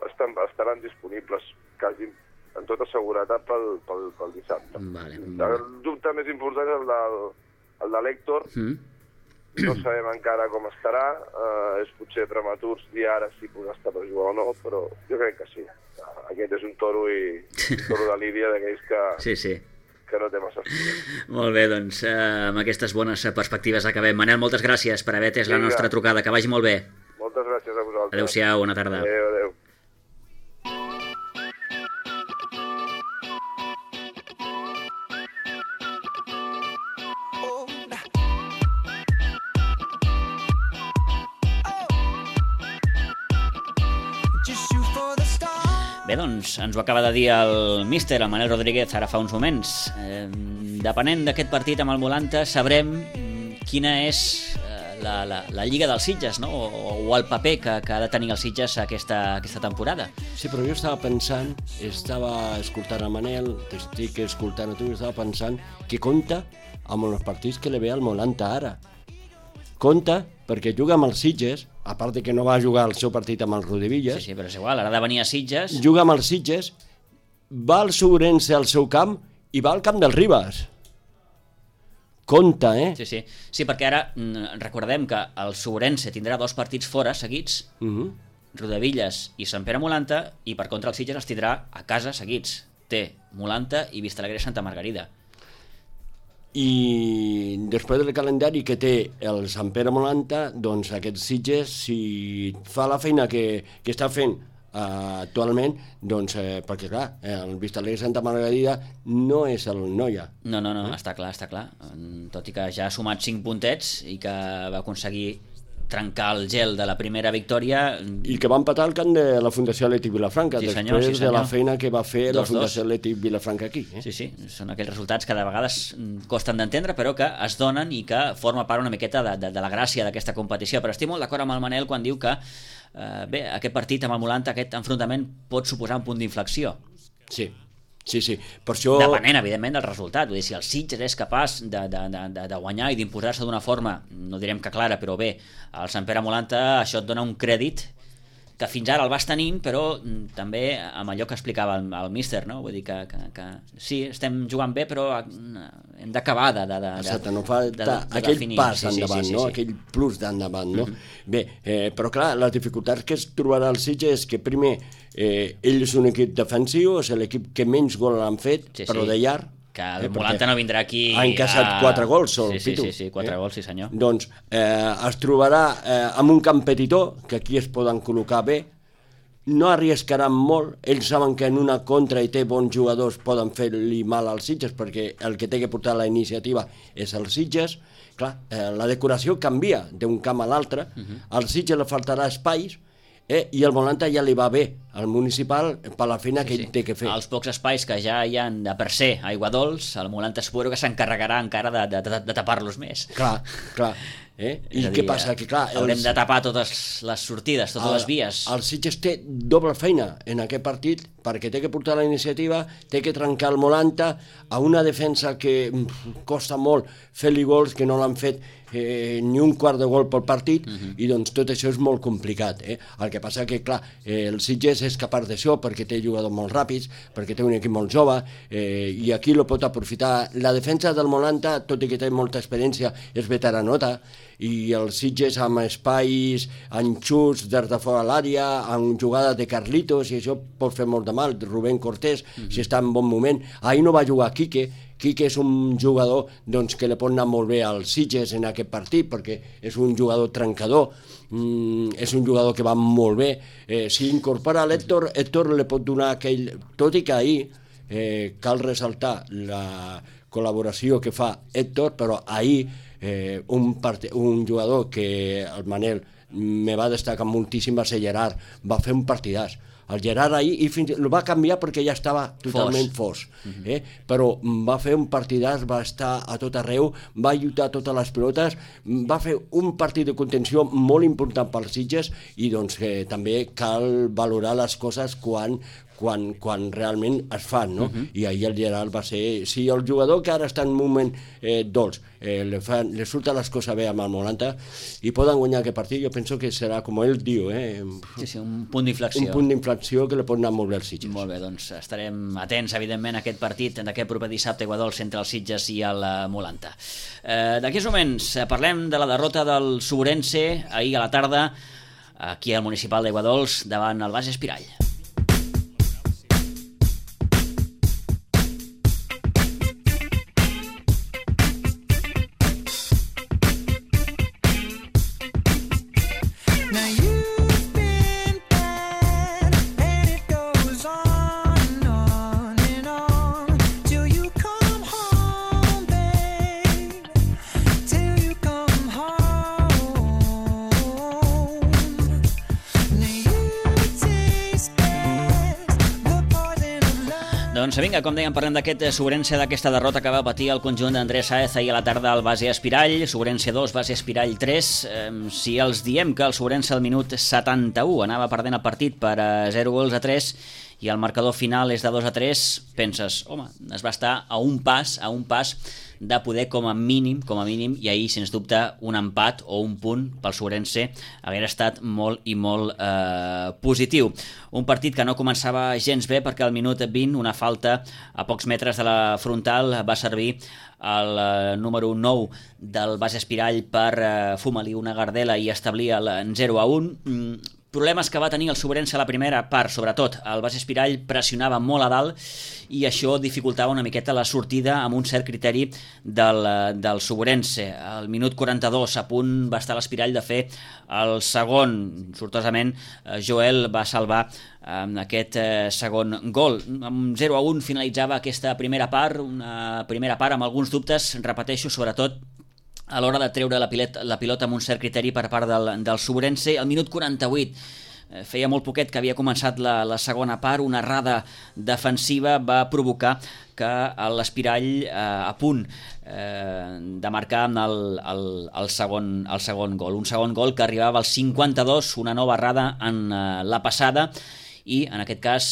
estan, estaran disponibles quasi amb tota seguretat pel, pel, pel dissabte.
Vale, vale.
El dubte més important és el de, el de l'Héctor. Mm. No sabem encara com estarà. Eh, és potser prematur dir ara si podrà estar per jugar o no, però jo crec que sí. Aquest és un toro i un toro de lídia d'aquells que,
sí, sí.
que no té massa estima.
Molt bé, doncs eh, amb aquestes bones perspectives acabem. Manel, moltes gràcies per haver atès la nostra trucada. Que vagi molt bé.
Moltes gràcies a vosaltres.
Adéu-siau, bona tarda.
Adéu, adéu.
Bé, doncs, ens ho acaba de dir el míster, el Manel Rodríguez, ara fa uns moments. Eh, depenent d'aquest partit amb el Molanta, sabrem quina és la, la, la Lliga dels Sitges, no? o, o el paper que, que ha de tenir els Sitges aquesta, aquesta temporada.
Sí, però jo estava pensant, estava escoltant a Manel, t'estic escoltant a tu, estava pensant que compta amb els partits que li ve al Molanta ara. Compta perquè juga amb els Sitges, a part de que no va jugar el seu partit amb els Rodevilles.
Sí, sí, però és igual, ara ha de venir a Sitges.
Juga amb els Sitges, va al Sourense al seu camp i va al camp del Ribas. Compte, eh?
Sí, sí, sí, perquè ara recordem que el Sourense tindrà dos partits fora seguits, uh-huh. Rodevilles i Sant Pere Molanta, i per contra el Sitges els tindrà a casa seguits. Té Molanta i Vistalegre Santa Margarida.
I després del calendari que té el Sant Pere Molanta, doncs aquest Sitges, si fa la feina que, que està fent uh, actualment, doncs, eh, perquè clar, el Vistalegre Santa Margarida no és el Noia.
No, no, no, eh? està clar, està clar. Tot i que ja ha sumat cinc puntets i que va aconseguir trencar el gel de la primera victòria.
I que va empatar al camp de la Fundació Atlètic Vilafranca,
sí, senyor,
després
sí,
de la feina que va fer dos, la Fundació
dos.
Atlètic Vilafranca aquí. Eh?
Sí, sí, són aquells resultats que de vegades costen d'entendre, però que es donen i que forma part una miqueta de, de, de la gràcia d'aquesta competició. Però estic molt d'acord amb el Manel quan diu que eh, bé, aquest partit amb el Molanta, aquest enfrontament pot suposar un punt d'inflexió.
Sí. Sí, sí, per això...
Depenent, evidentment, del resultat. Vull dir, si el Sitges és capaç de, de, de, de guanyar i d'imposar-se d'una forma, no direm que clara, però bé, al Sant Pere Molanta això et dona un crèdit que fins ara el vas tenint, però també amb allò que explicava el, el míster, no? Vull dir que, que, que sí, estem jugant bé, però hem d'acabar de, de, de,
Exacte, no fa
de, de, de
aquell
definir.
pas
sí,
endavant,
sí, sí,
no?
sí.
Aquell plus d'endavant, no?
Mm-hmm.
Bé, eh, però clar, les dificultats que es trobarà el Sitges és que primer, eh, ell és un equip defensiu, és l'equip que menys gol l'han fet,
sí,
però
sí.
de llarg.
Que el eh, Molanta no vindrà aquí...
Ha encaixat a... quatre gols, el
sí, sí,
Pitu.
Sí, sí, quatre
eh?
gols, sí senyor.
Doncs eh, es trobarà eh, amb un competidor, que aquí es poden col·locar bé, no arriscaran molt, ells saben que en una contra i té bons jugadors poden fer-li mal als Sitges, perquè el que té que portar la iniciativa és el Sitges. Clar, eh, la decoració canvia d'un camp a l'altre, uh-huh. Al Sitges li faltarà espais, eh, i el Molanta ja li va bé al municipal per la feina sí, que ell
sí.
té que fer.
Els pocs espais que ja hi ha de per ser aigua dolç, el Molanta espero que s'encarregarà encara de, de, de, de tapar-los més.
Clar, clar. Eh? I dir, què passa? Que, clar,
haurem
els...
de tapar totes les sortides, totes
el,
les vies.
El Sitges té doble feina en aquest partit perquè té que portar la iniciativa, té que trencar el Molanta a una defensa que mm, costa molt fer-li gols, que no l'han fet eh, ni un quart de gol pel partit, uh-huh. I doncs tot això és molt complicat. Eh? El que passa que, clar, eh, el Sitges és capaç d'això perquè té jugadors molt ràpids, perquè té un equip molt jove, eh, i aquí lo pot aprofitar. La defensa del Molanta, tot i que té molta experiència, és veteranota, i els Sitges amb espais, en xuts des de fora l'àrea, amb jugades de Carlitos, i això pot fer molt de mal. Rubén Cortés, mm-hmm. si està en bon moment. Ahir no va jugar Quique. Quique és un jugador doncs, que li pot anar molt bé als Sitges en aquest partit, perquè és un jugador trencador, mm, és un jugador que va molt bé. Eh, si incorpora l'Héctor, Héctor li pot donar aquell... Tot i que ahir eh, cal ressaltar la col·laboració que fa Héctor, però ahir eh, un, part... un jugador que el Manel me va destacar moltíssim va ser Gerard, va fer un partidàs. El Gerard ahir i fins, el va canviar perquè ja estava totalment fos, uh-huh. eh? Però va fer un partidàs, va estar a tot arreu, va lluitar totes les pilotes, va fer un partit de contenció molt important pels Sitges i doncs eh, també cal valorar les coses quan, quan, quan realment es fan, no? Uh-huh. I ahir el Gerard va ser... Si el jugador que ara està en un moment eh, dolç, eh, le, fan, le surten les coses bé amb el Molanta i poden guanyar aquest partit, jo penso que serà, com ell diu, eh,
sí, sí, un punt d'inflexió.
Un punt d'inflexió que li pot anar molt bé als Sitges.
Molt bé, doncs estarem atents, evidentment, a aquest partit d'aquest proper dissabte a Aiguadols entre els Sitges i el Molanta. Eh, D'aquí uns moments parlem de la derrota del Sobrense ahir a la tarda aquí al Municipal d'Aiguadols davant el Base Espirall. Doncs vinga, com dèiem, parlem d'aquest Sobrense, d'aquesta derrota que va patir el conjunt d'Andrés Sáez ahir a la tarda al Base Espirall. Sobrense dos, Base Espirall tres. Eh, si els diem que el Sobrense al minut setanta-u anava perdent el partit per zero gols a tres i el marcador final és de dos a tres, penses, home, es va estar a un pas, a un pas de poder com a mínim, com a mínim, i ahir, sens dubte, un empat o un punt pel Sobrense hauria estat molt i molt eh, positiu. Un partit que no començava gens bé perquè al minut vint, una falta a pocs metres de la frontal, va servir el eh, número nou del Base Espirall per eh, fumelir una gardela i establir el zero a un. Mm, problemes que va tenir el Sobrense a la primera part, sobretot. El Base Espirall pressionava molt a dalt i això dificultava una miqueta la sortida amb un cert criteri del, del Sobrense. Al minut quaranta-dos, a punt va estar l'Espirall de fer el segon. Sortosament, Joel va salvar amb aquest eh, segon gol. Amb zero a un finalitzava aquesta primera part, una primera part amb alguns dubtes, repeteixo, sobretot a l'hora de treure la pilota, la pilota amb un cert criteri per part del, del Sobrense. Al minut quaranta-vuit, eh, feia molt poquet que havia començat la, la segona part, una errada defensiva va provocar que l'Espirall eh, a punt eh, de marcar el, el, el, segon, el segon gol. Un segon gol que arribava al cinquanta-dos, una nova errada en eh, la passada, i en aquest cas,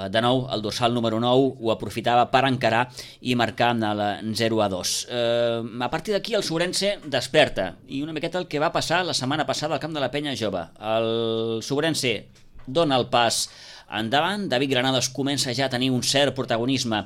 de nou, el dorsal número nou ho aprofitava per encarar i marcar el zero a dos. Eh, a partir d'aquí el Sobrense desperta, i una miqueta el que va passar la setmana passada al camp de la Penya Jove. El Sobrense dona el pas endavant, David Granados comença ja a tenir un cert protagonisme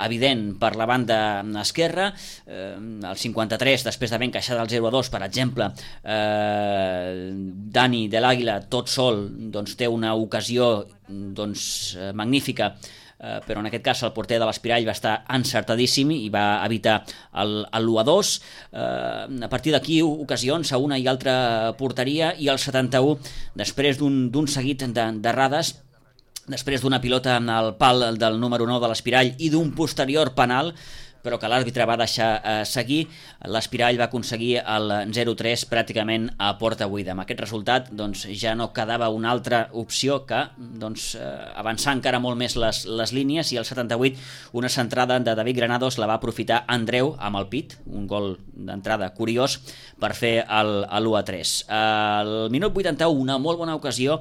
evident per la banda esquerra, eh, el cinquanta-tres, després d'haver encaixat el zero a dos, per exemple, eh, Dani de l'Àguila, tot sol, doncs, té una ocasió doncs, magnífica, eh, però en aquest cas el porter de l'Espirall va estar encertadíssim i va evitar l'u a dos. Eh, a partir d'aquí, ocasions a una i altra porteria, i el setanta-u, després d'un seguit d'errades, després d'una pilota al pal del número nou de l'Espirall i d'un posterior penal, però que l'àrbitre va deixar eh, seguir, l'Espirall va aconseguir el zero a tres pràcticament a porta buida. Amb aquest resultat doncs, ja no quedava una altra opció que doncs, eh, avançar encara molt més les, les línies, i al setanta-vuit una centrada de David Granados la va aprofitar Andreu amb el pit, un gol d'entrada curiós, per fer l'u a tres. Al minut vuitanta-u, una molt bona ocasió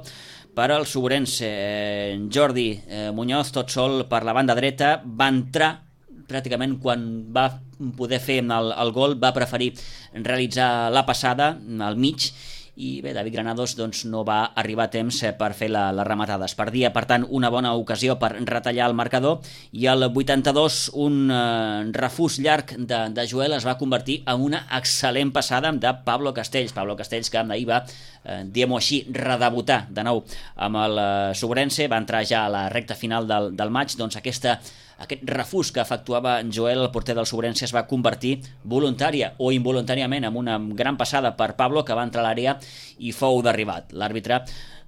per al Sobrense. eh, Jordi eh, Muñoz, tot sol per la banda dreta, va entrar pràcticament quan va poder fer el, el gol, va preferir realitzar la passada al mig i bé, David Granados doncs, no va arribar a temps per fer la, la rematada. Es perdia, per tant, una bona ocasió per retallar el marcador, i al vuitanta-dos un eh, refús llarg de, de Joel es va convertir en una excel·lent passada de Pablo Castells. Pablo Castells, que ahir va, eh, diguem-ho així, redebutar de nou amb el eh, Sobrense, va entrar ja a la recta final del, del maig, doncs aquesta aquest refús que efectuava Joel, el porter del Sobrense, es va convertir voluntària o involuntàriament en una gran passada per Pablo, que va entrar a l'àrea i fou derribat. L'àrbitre,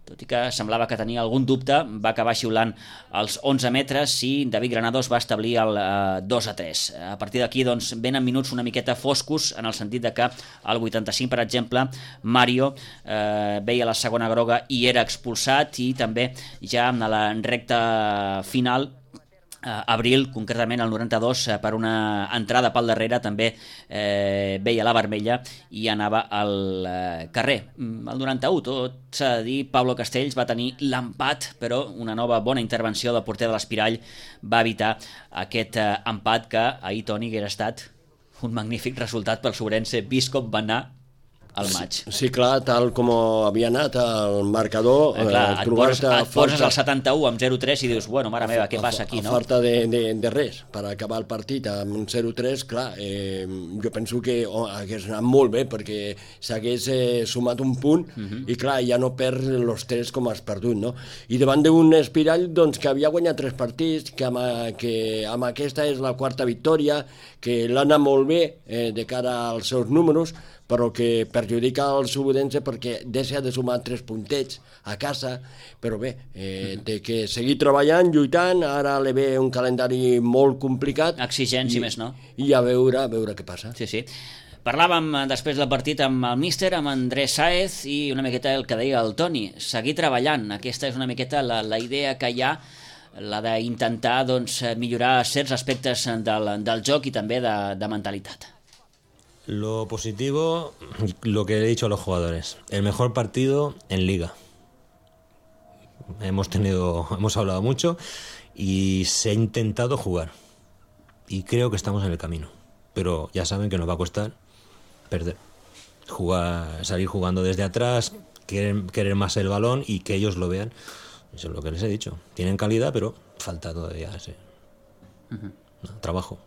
tot i que semblava que tenia algun dubte, va acabar xiulant els onze metres i David Granados va establir el eh, dos a tres. A partir d'aquí doncs, venen minuts una miqueta foscos, en el sentit de que al vuitanta-cinc, per exemple, Mario eh, veia la segona groga i era expulsat, i també ja en la recta final Abril, concretament el noranta-dos, per una entrada pel darrere també eh, veia la vermella i anava al eh, carrer. El noranta-u, tot s'ha de dir, Pablo Castells va tenir l'empat, però una nova bona intervenció del porter de l'Espirall va evitar aquest eh, empat que ahir, Toni, hagués estat un magnífic resultat pel Sobrense, vist com va anar al maig.
Sí, sí, clar, tal com havia anat el marcador,
eh, clar,
eh,
et, poses, et poses
falta,
al setanta-u amb zero tres i dius, bueno, mare meva, què passa aquí, no?
A falta de, de, de res, per acabar el partit amb un zero tres, clar, eh, jo penso que oh, hagués anat molt bé, perquè s'hagués eh, sumat un punt, uh-huh. i clar, ja no perd els tres com has perdut, no? I davant d'un Espirall, doncs, que havia guanyat tres partits, que amb, que amb aquesta és la quarta victòria, que l'ha anat molt bé eh, de cara als seus números, però que perjudica el Sobrense perquè deixa de sumar tres puntets a casa, però bé, eh, té que seguir treballant, lluitant, ara li ve un calendari molt complicat.
Exigent, si més no.
I a veure, a veure què passa.
Sí, sí. Parlàvem després del partit amb el míster, amb Andrés Sáez, i una miqueta el que deia el Toni, seguir treballant. Aquesta és una miqueta la, la idea que hi ha, la d'intentar doncs, millorar certs aspectes del, del joc i també de, de mentalitat.
Lo positivo, lo que he dicho a los jugadores, el mejor partido en Liga. Hemos tenido, hemos hablado mucho y se ha intentado jugar. Y creo que estamos en el camino. Pero ya saben que nos va a costar perder. Jugar, salir jugando desde atrás, querer, querer más el balón y que ellos lo vean. Eso es lo que les he dicho. Tienen calidad, pero falta todavía ese uh-huh. no, trabajo.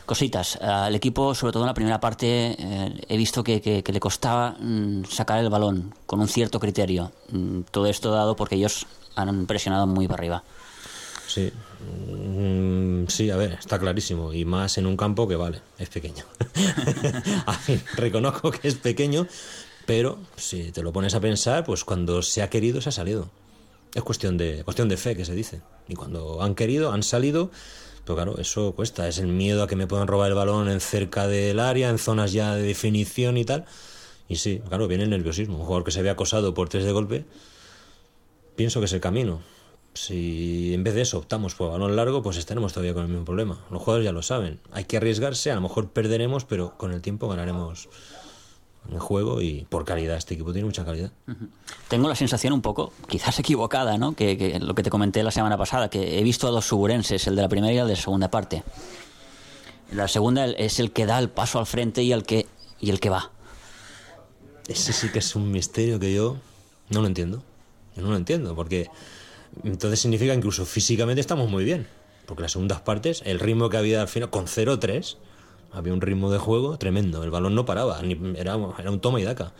Cositas, al equipo, sobre todo en la primera parte, eh, he visto que, que, que le costaba mmm, sacar el balón con un cierto criterio. Mm, todo esto dado porque ellos han presionado muy para arriba.
Sí, mm, sí, a ver, está clarísimo. Y más en un campo que, vale, es pequeño. A fin, reconozco que es pequeño, pero si te lo pones a pensar, pues cuando se ha querido, se ha salido. Es cuestión de, cuestión de fe, que se dice. Y cuando han querido, han salido. Pero claro, eso cuesta, es el miedo a que me puedan robar el balón en cerca del área, en zonas ya de definición y tal. Y sí, claro, viene el nerviosismo. Un jugador que se ve acosado por tres de golpe, pienso que es el camino. Si en vez de eso optamos por balón largo, pues estaremos todavía con el mismo problema. Los jugadores ya lo saben. Hay que arriesgarse, a lo mejor perderemos, pero con el tiempo ganaremos en juego y por calidad. Este equipo tiene mucha calidad.
Uh-huh. Tengo la sensación un poco, quizás equivocada, ¿no? Que, que lo que te comenté la semana pasada, que he visto a dos suburenses, el de la primera y el de la segunda parte. La segunda es el que da el paso al frente y el que, y el que va.
Ese sí que es un misterio que yo no lo entiendo. Yo no lo entiendo, porque entonces significa que incluso físicamente estamos muy bien. Porque las segundas partes, el ritmo que había al final, con cero tres... había un ritmo de juego tremendo, el balón no paraba, ni, era, era un toma y daca.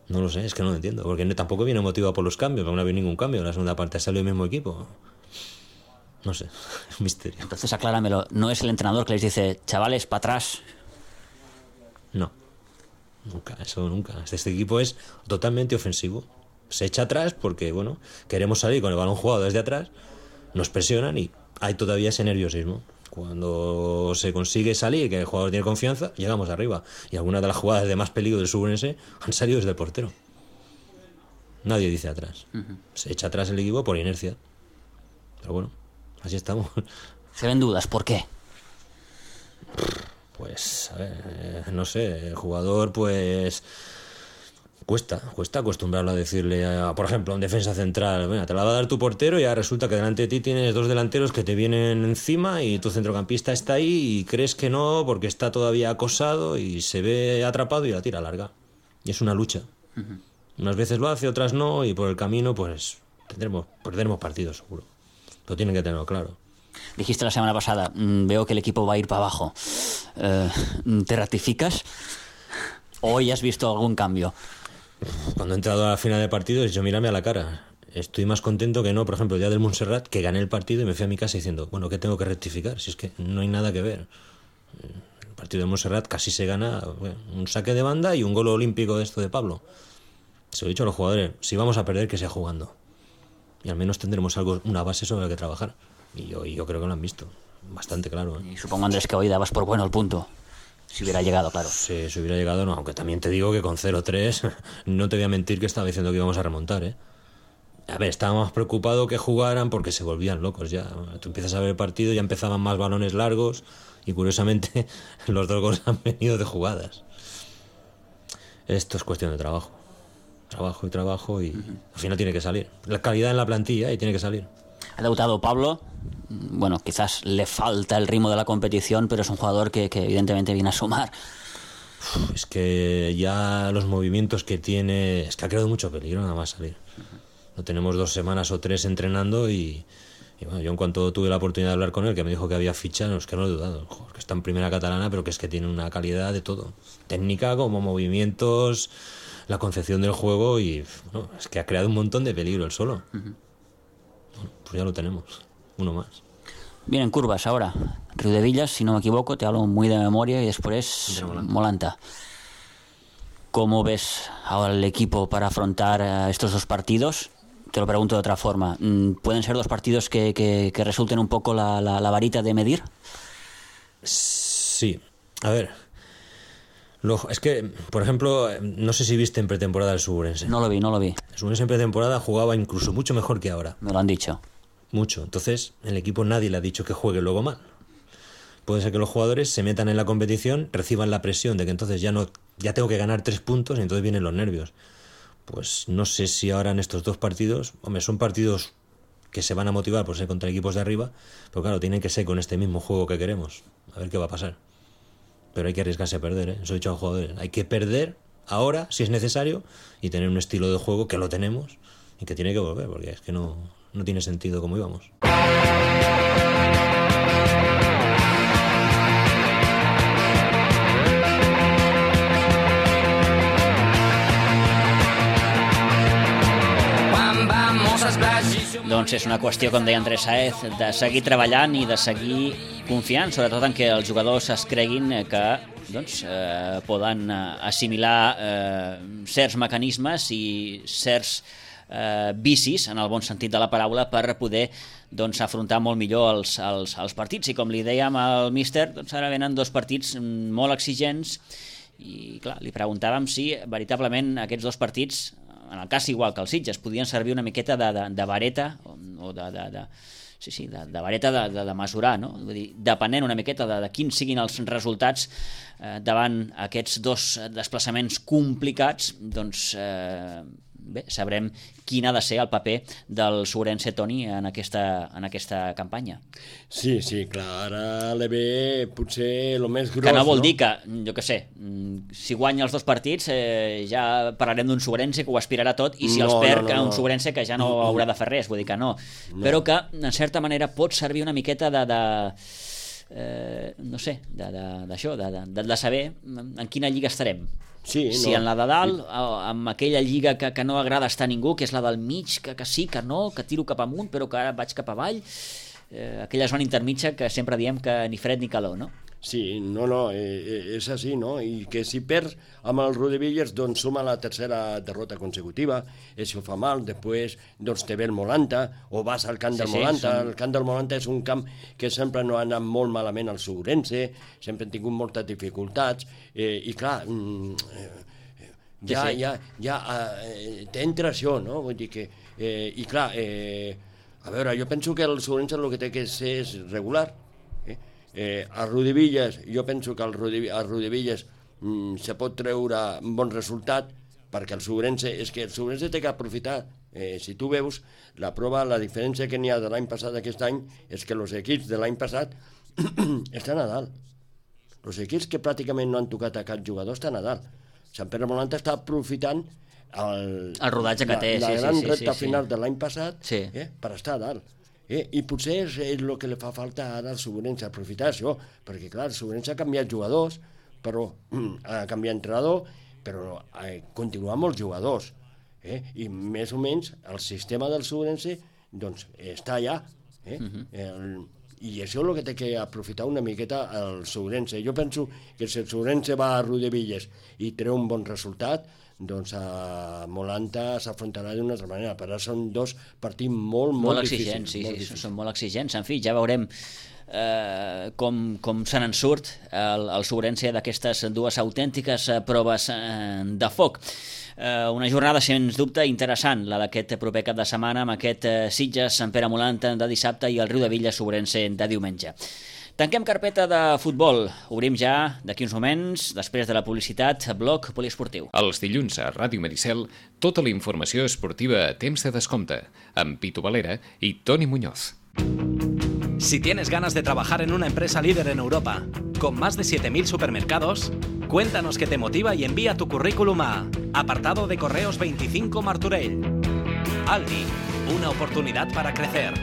No lo sé, es que no lo entiendo, porque tampoco viene motivado por los cambios, porque no había ningún cambio, en la segunda parte ha salido el mismo equipo. No sé, es un misterio.
Entonces acláramelo, ¿no es el entrenador que les dice, chavales, para atrás?
No, nunca, eso nunca. Este equipo es totalmente ofensivo, se echa atrás porque, bueno, queremos salir con el balón jugado desde atrás, nos presionan y hay todavía ese nerviosismo. Cuando se consigue salir, que el jugador tiene confianza, llegamos arriba. Y algunas de las jugadas de más peligro del Sobrense han salido desde el portero. Nadie dice atrás. Uh-huh. Se echa atrás el equipo por inercia. Pero bueno, así estamos.
Se ven dudas, ¿por qué?
Pues, a ver, no sé, el jugador pues... Cuesta, cuesta acostumbrarlo a decirle, a, por ejemplo, a un defensa central, mira, te la va a dar tu portero y ahora resulta que delante de ti tienes dos delanteros que te vienen encima y tu centrocampista está ahí y crees que no porque está todavía acosado y se ve atrapado y la tira larga. Y es una lucha. Uh-huh. Unas veces lo hace, otras no, y por el camino pues tendremos, perderemos partidos seguro. Lo tienen que tenerlo claro.
Dijiste la semana pasada, mmm, veo que el equipo va a ir para abajo. Eh, ¿Te ratificas? ¿O hoy has visto algún cambio?
Cuando he entrado a la final de partidos, yo mírame a la cara. Estoy más contento que no, por ejemplo, el día del Montserrat, que gané el partido y me fui a mi casa diciendo, bueno, ¿qué tengo que rectificar? Si es que no hay nada que ver. El partido del Montserrat casi se gana, bueno, un saque de banda y un gol olímpico de esto de Pablo. Se lo he dicho a los jugadores, si vamos a perder, que sea jugando. Y al menos tendremos algo, una base sobre la que trabajar. Y yo, y yo creo que lo han visto. Bastante claro. ¿eh?
Y supongo, Andrés, que hoy dabas por bueno el punto. Si hubiera llegado, claro.
Sí, si hubiera llegado, no. Aunque también te digo que con cero tres, no te voy a mentir que estaba diciendo que íbamos a remontar, ¿eh? A ver, estaba más preocupado que jugaran porque se volvían locos ya. Tú empiezas a ver el partido, ya empezaban más balones largos y curiosamente los dos goles han venido de jugadas. Esto es cuestión de trabajo. Trabajo y trabajo y uh-huh. al final tiene que salir. La calidad en la plantilla y tiene que salir.
Ha debutado Pablo. Bueno, quizás le falta el ritmo de la competición, pero es un jugador que, que evidentemente viene a sumar.
Uf, es que ya los movimientos que tiene... Es que ha creado mucho peligro nada más salir. No tenemos dos semanas o tres entrenando y... y bueno, yo en cuanto tuve la oportunidad de hablar con él, que me dijo que había ficha, no, es que no lo he dudado. Joder, que está en primera catalana, pero que es que tiene una calidad de todo. Técnica, como movimientos, la concepción del juego y... No, es que ha creado un montón de peligro él solo. Uh-huh. Bueno, pues ya lo tenemos. Uno más.
Vienen curvas ahora. Riudevillas, si no me equivoco, te hablo muy de memoria, y después Molanta. Molanta. ¿Cómo ves ahora el equipo para afrontar uh, estos dos partidos? Te lo pregunto de otra forma. ¿Pueden ser dos partidos que, que, que resulten un poco la, la, la varita de medir?
Sí. A ver. Lo, es que, por ejemplo, no sé si viste en pretemporada el Suburense.
No lo vi, no lo vi.
El Suburense en pretemporada jugaba incluso mucho mejor que ahora.
Me lo han dicho.
Mucho. Entonces, el equipo nadie le ha dicho que juegue luego mal. Puede ser que los jugadores se metan en la competición, reciban la presión de que entonces ya no ya tengo que ganar tres puntos y entonces vienen los nervios. Pues no sé si ahora en estos dos partidos, hombre, son partidos que se van a motivar por ser contra equipos de arriba, pero claro, tienen que ser con este mismo juego que queremos. A ver qué va a pasar. Pero hay que arriesgarse a perder, ¿eh? Eso he dicho a los jugadores. Hay que perder ahora, si es necesario, y tener un estilo de juego que lo tenemos y que tiene que volver, porque es que no, no tiene sentido como íbamos.
Doncs és una qüestió, com deia Andrés Sáez, de seguir treballant i de seguir confiant, sobretot en que els jugadors es creguin que doncs, eh, poden assimilar eh, certs mecanismes i certs eh, vicis, en el bon sentit de la paraula, per poder doncs, afrontar molt millor els, els, els partits. I com li dèiem al míster, doncs, ara venen dos partits molt exigents i clar, li preguntàvem si veritablement aquests dos partits, en el cas igual que els Sitges, podien servir una miqueta de, de, de vareta o de, de, de, sí, sí, de, de vareta de, de, de mesurar, no? Vull dir, depenent una miqueta de, de quins siguin els resultats eh, davant aquests dos desplaçaments complicats, doncs eh, bé, sabrem quin ha de ser el paper del Suburense, Toni, en aquesta, en aquesta campanya.
Sí, sí, clar, ara le ve potser el més gros,
que no vol
no?
dir que, jo què sé, si guanya els dos partits eh, ja parlarem d'un Suburense que ho aspirarà tot, i si
no,
els perd,
no, no,
un
no.
Suburense que ja no haurà de fer res, vull dir que no. no. Però que, en certa manera, pot servir una miqueta de... de eh, no sé, d'això, de, de, de, de saber en quina lliga estarem.
Sí,
si
no.
en la de dalt, amb aquella lliga que, que no agrada estar a ningú, que és la del mig, que, que sí, que no, que tiro cap amunt, però que ara vaig cap avall, eh, aquella zona intermitja que sempre diem que ni fred ni calor, no?
Sí, no, no, eh, és així, no? I que si perds amb el Riudevilles, doncs suma la tercera derrota consecutiva, això fa mal, després doncs te ve el Molanta, o vas al camp del
sí,
Molanta,
sí,
el camp del Molanta és un camp que sempre no ha anat molt malament al Suburense, sempre han tingut moltes dificultats, eh, i clar, eh, ja,
sí, sí.
ja, ja eh, t'entra això, no? Vull dir que, eh, i clar, eh, a veure, jo penso que el Suburense el que té que ser és regular. Eh, a Riudevilles, jo penso que al Riudevilles mm, se pot treure un bon resultat, perquè el Suburense, és que el Suburense té que aprofitar, eh, si tu veus, la prova, la diferència que n'hi ha de l'any passat a aquest any, és que els equips de l'any passat estan a dalt. Els equips que pràcticament no han tocat a cap jugador estan a dalt. Sant Pere Molanta està aprofitant el,
el rodatge que
la,
té,
la
sí,
gran
sí, sí,
repte
sí, sí.
final de l'any passat
Sí.
eh, per estar a dalt. Eh? I potser és el que li fa falta ara al Sobrense, aprofitar això, perquè clar, el Sobrense ha canviat jugadors, però ha canviat entrenador, però eh, continua amb els jugadors. Eh? I més o menys el sistema del Sobrense doncs, està allà. Eh? Uh-huh. el, I això és el que té que aprofitar una miqueta el Sobrense. Jo penso que si el Sobrense va a Rodevilles i treu un bon resultat, doncs a Molanta s'afrontarà d'una altra manera, però són dos partits molt, molt,
molt
difícils.
exigents, sí,
molt
sí,
difícils.
són molt exigents. En fi, ja veurem eh, com, com se n'en surt el, el Sobrense d'aquestes dues autèntiques eh, proves eh, de foc. Eh, una jornada, sens dubte, interessant, la d'aquest proper cap de setmana, amb aquest eh, Sitges, Sant Pere Molanta de dissabte i el Riudebitlles Sobrense de diumenge. Tanquem carpeta de futbol. Obrim ja, d'aquí uns moments, després de la publicitat, bloc poliesportiu.
Els dilluns a Ràdio Maricel, tota la informació esportiva a temps de descompte, amb Pitu Valera i Toni Muñoz.
Si tienes ganas de trabajar en una empresa líder en Europa, con más de siete mil supermercados, cuéntanos qué te motiva y envía tu currículum a apartado de correos veinticinco Martorell. Aldi, una oportunidad para crecer.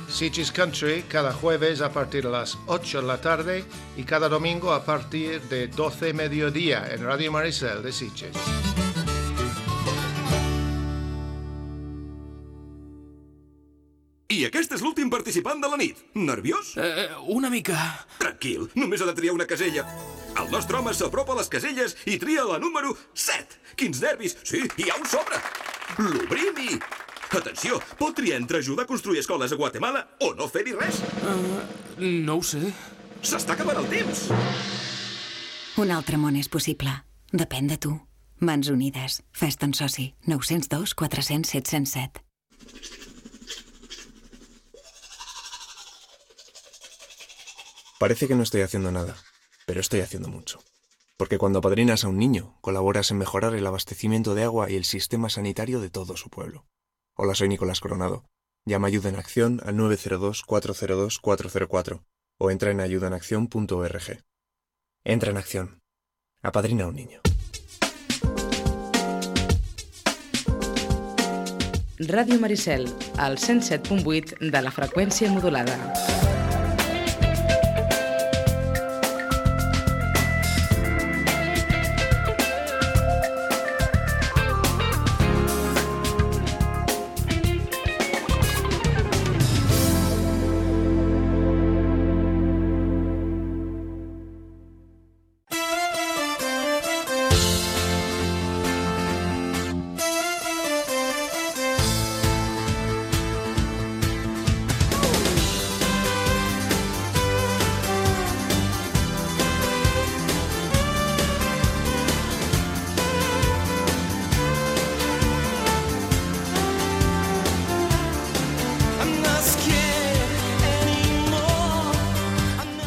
Sitges Country cada jueves a partir de las ocho de la tarde y cada domingo a partir de doce mediodía en Radio Maricel de Sitges.
I aquest és l'últim participant de la nit. Nerviós?
Eh, una mica.
Tranquil, només ha de triar una casella. El nostre home s'apropa a les caselles i tria la número set. Quins nervis! Sí, hi ha un sobre. L'obrim i... Atenció, pot triar entre ajudar a construir escoles a Guatemala o no fer-hi res.
Uh, no ho sé.
S'està acabant el temps.
Un altre món és possible. Depèn de tu. Mans Unides. Fes-te'n soci. nou zero dos quatre zero zero set zero set.
Parece que no estoy haciendo nada, pero estoy haciendo mucho. Porque cuando apadrinas a un niño, colaboras en mejorar el abastecimiento de agua y el sistema sanitario de todo su pueblo. Hola, soy Nicolás Coronado. Llama Ayuda en Acción al nueve cero dos cuatro cero dos cuatro cero cuatro o entra en ayuda en acción punto org. Entra en acción. Apadrina a un niño.
Ràdio Maricel, al cent set punt vuit de la freqüència modulada.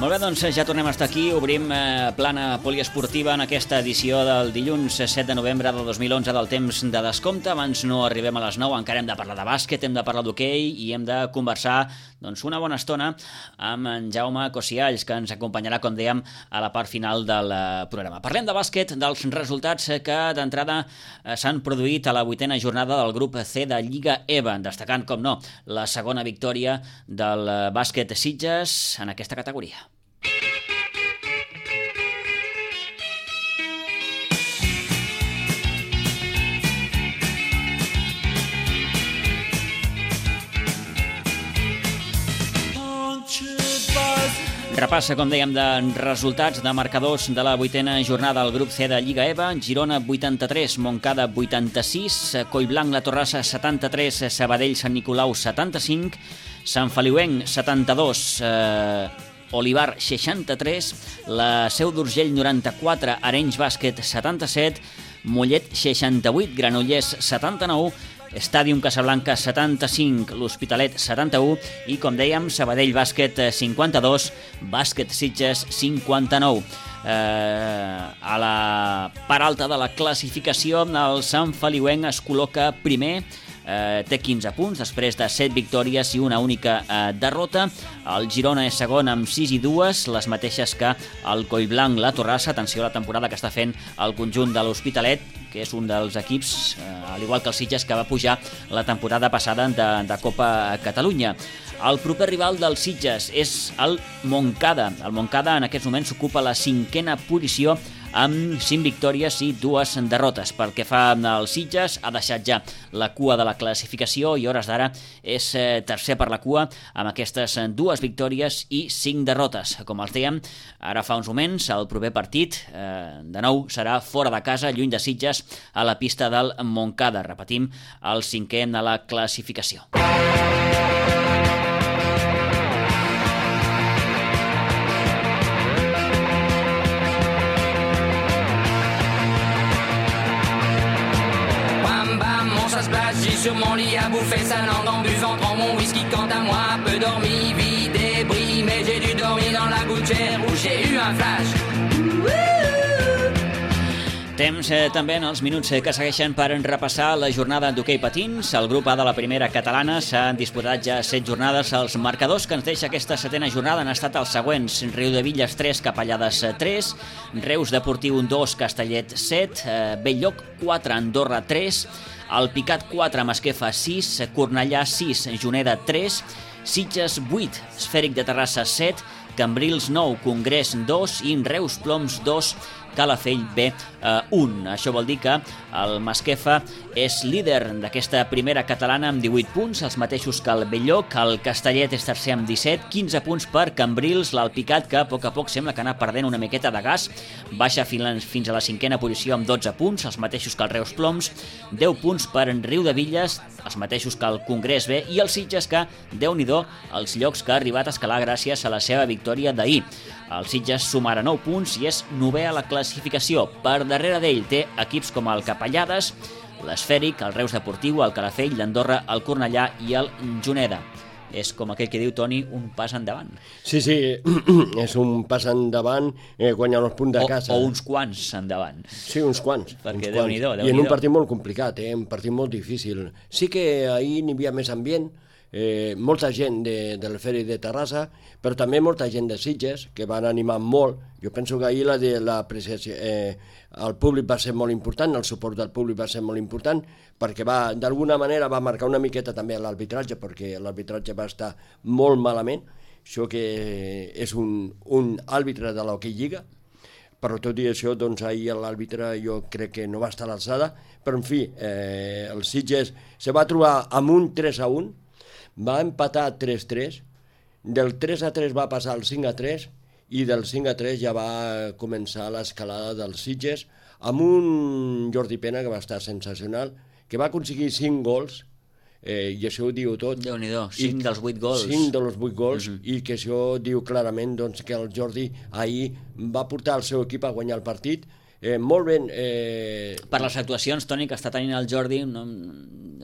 Molt bé, doncs ja tornem a estar aquí. Obrim eh, plana poliesportiva en aquesta edició del dilluns set de novembre de dos mil onze del temps de descompte. Abans no arribem a les nou, encara hem de parlar de bàsquet, hem de parlar d'hoquei i hem de conversar doncs, una bona estona amb en Jaume Cosialls, que ens acompanyarà, com dèiem, a la part final del eh, programa. Parlem de bàsquet, dels resultats que d'entrada eh, s'han produït a la vuitena jornada del grup C de Lliga E V A, destacant, com no, la segona victòria del eh, bàsquet Sitges en aquesta categoria. Repassa, com dèiem, de resultats de marcadors de la vuitena jornada del grup C de Lliga E V A. Girona vuitanta-tres, Montcada vuitanta-sis, Collblanc La Torrassa setanta-tres, Sabadell Sant Nicolau setanta-cinc, Sant Feliuenc setanta-dos, eh, Olivar seixanta-tres, la Seu d'Urgell noranta-quatre, Arenys Bàsquet setanta-set, Mollet seixanta-vuit, Granollers setanta-nou, Stadium Casablanca setanta-cinc, l'Hospitalet setanta-u i, com dèiem, Sabadell Bàsquet cinquanta-dos, Bàsquet Sitges cinquanta-nou. Eh, a la part alta de la classificació, el Sant Feliuenc es col·loca primer eh, té quinze punts, després de set victòries i una única eh, derrota. El Girona és segon amb sis i dues, les mateixes que el Collblanc, la Torrassa. Atenció a la temporada que està fent el conjunt de l'Hospitalet, que és un dels equips, eh, al igual que el Sitges, que va pujar la temporada passada de, de Copa Catalunya. El proper rival del Sitges és el Montcada. El Montcada en aquests moments ocupa la cinquena posició amb cinc victòries i dues derrotes. Pel que fa al Sitges, ha deixat ja la cua de la classificació i hores d'ara és eh, tercer per la cua amb aquestes dues victòries i cinc derrotes. Com els dèiem, ara fa uns moments, el proper partit eh, de nou serà fora de casa, lluny de Sitges, a la pista del Montcada. Repetim, el cinquè de la classificació.
J'ai sur mon lit à bouffer sa langue en buvant, prends mon whisky quant à moi, peu dormi, vie débris, mais j'ai dû dormir dans la gouttière où j'ai eu un flash.
Temps eh, també en els minuts eh, que segueixen per repassar la jornada d'hoquei patins. El grup A de la primera catalana s'han disputat ja set jornades. Els marcadors que ens deixa aquesta setena jornada han estat els següents: Riudevilles tres, Capellades tres, Reus Deportiu dos, Castellet set, eh, Bell-lloc quatre, Andorra tres, el Picat quatre, Masquefa sis, Cornellà sis, Juneda tres, Sitges vuit, Esfèric de Terrassa set, Cambrils nou, Congrés dos i Reus Ploms dos, Calafell B un. Això vol dir que el Masquefa és líder d'aquesta primera catalana amb divuit punts, els mateixos que el Bell-lloc. El Castellet és tercer amb disset, quinze punts per Cambrils. L'Alpicat, que a poc a poc sembla que anar perdent una miqueta de gas, baixa fins a la cinquena posició amb dotze punts, els mateixos que el Reus Ploms. deu punts per Riudevilles, els mateixos que el Congrés B, i el Sitges, que, déu-n'hi-do, els llocs que ha arribat a escalar gràcies a la seva victòria d'ahir. El Sitges sumarà nou punts i és novè a la classificació. Per darrere d'ell té equips com el Capellades, l'Esfèric, el Reus Deportiu, el Calafell, l'Andorra, el Cornellà i el Juneda. És, com aquell que diu Toni, un pas endavant.
Sí, sí, és un pas endavant, eh, guanyar els punts de casa.
O, o uns quants endavant.
Sí, uns quants.
Perquè
uns
Déu-n'hi-do,
quants. I en un partit molt complicat, eh, un partit molt difícil. Sí que ahir n'hi havia més ambient, eh, molta gent de, de l'Esfèric de Terrassa, però també molta gent de Sitges, que van animar molt. Jo penso que ahir la de l'apreciació, eh, el públic va ser molt important, el suport del públic va ser molt important, perquè va, d'alguna manera va marcar una miqueta també l'arbitratge, perquè l'arbitratge va estar molt malament. Això que és un, un àrbitre de l'Hockey Lliga, però tot i això, doncs ahir l'àrbitre jo crec que no va estar a l'alçada, però en fi, eh, el Sitges se va trobar amb un tres a un, va empatar tres a tres, del tres a tres va passar al cinc a tres, i del cinc a tres ja va començar l'escalada dels Sitges, amb un Jordi Pena que va estar sensacional, que va aconseguir cinc gols, eh, i això ho diu tot.
Déu-n'hi-do, cinc dels vuit gols.
cinc dels vuit gols, uh
Mhm.
-huh. i que això diu clarament doncs, que el Jordi ahir va portar el seu equip a guanyar el partit. Eh, molt ben... Eh...
Per les actuacions, Toni, que està tenint el Jordi, no,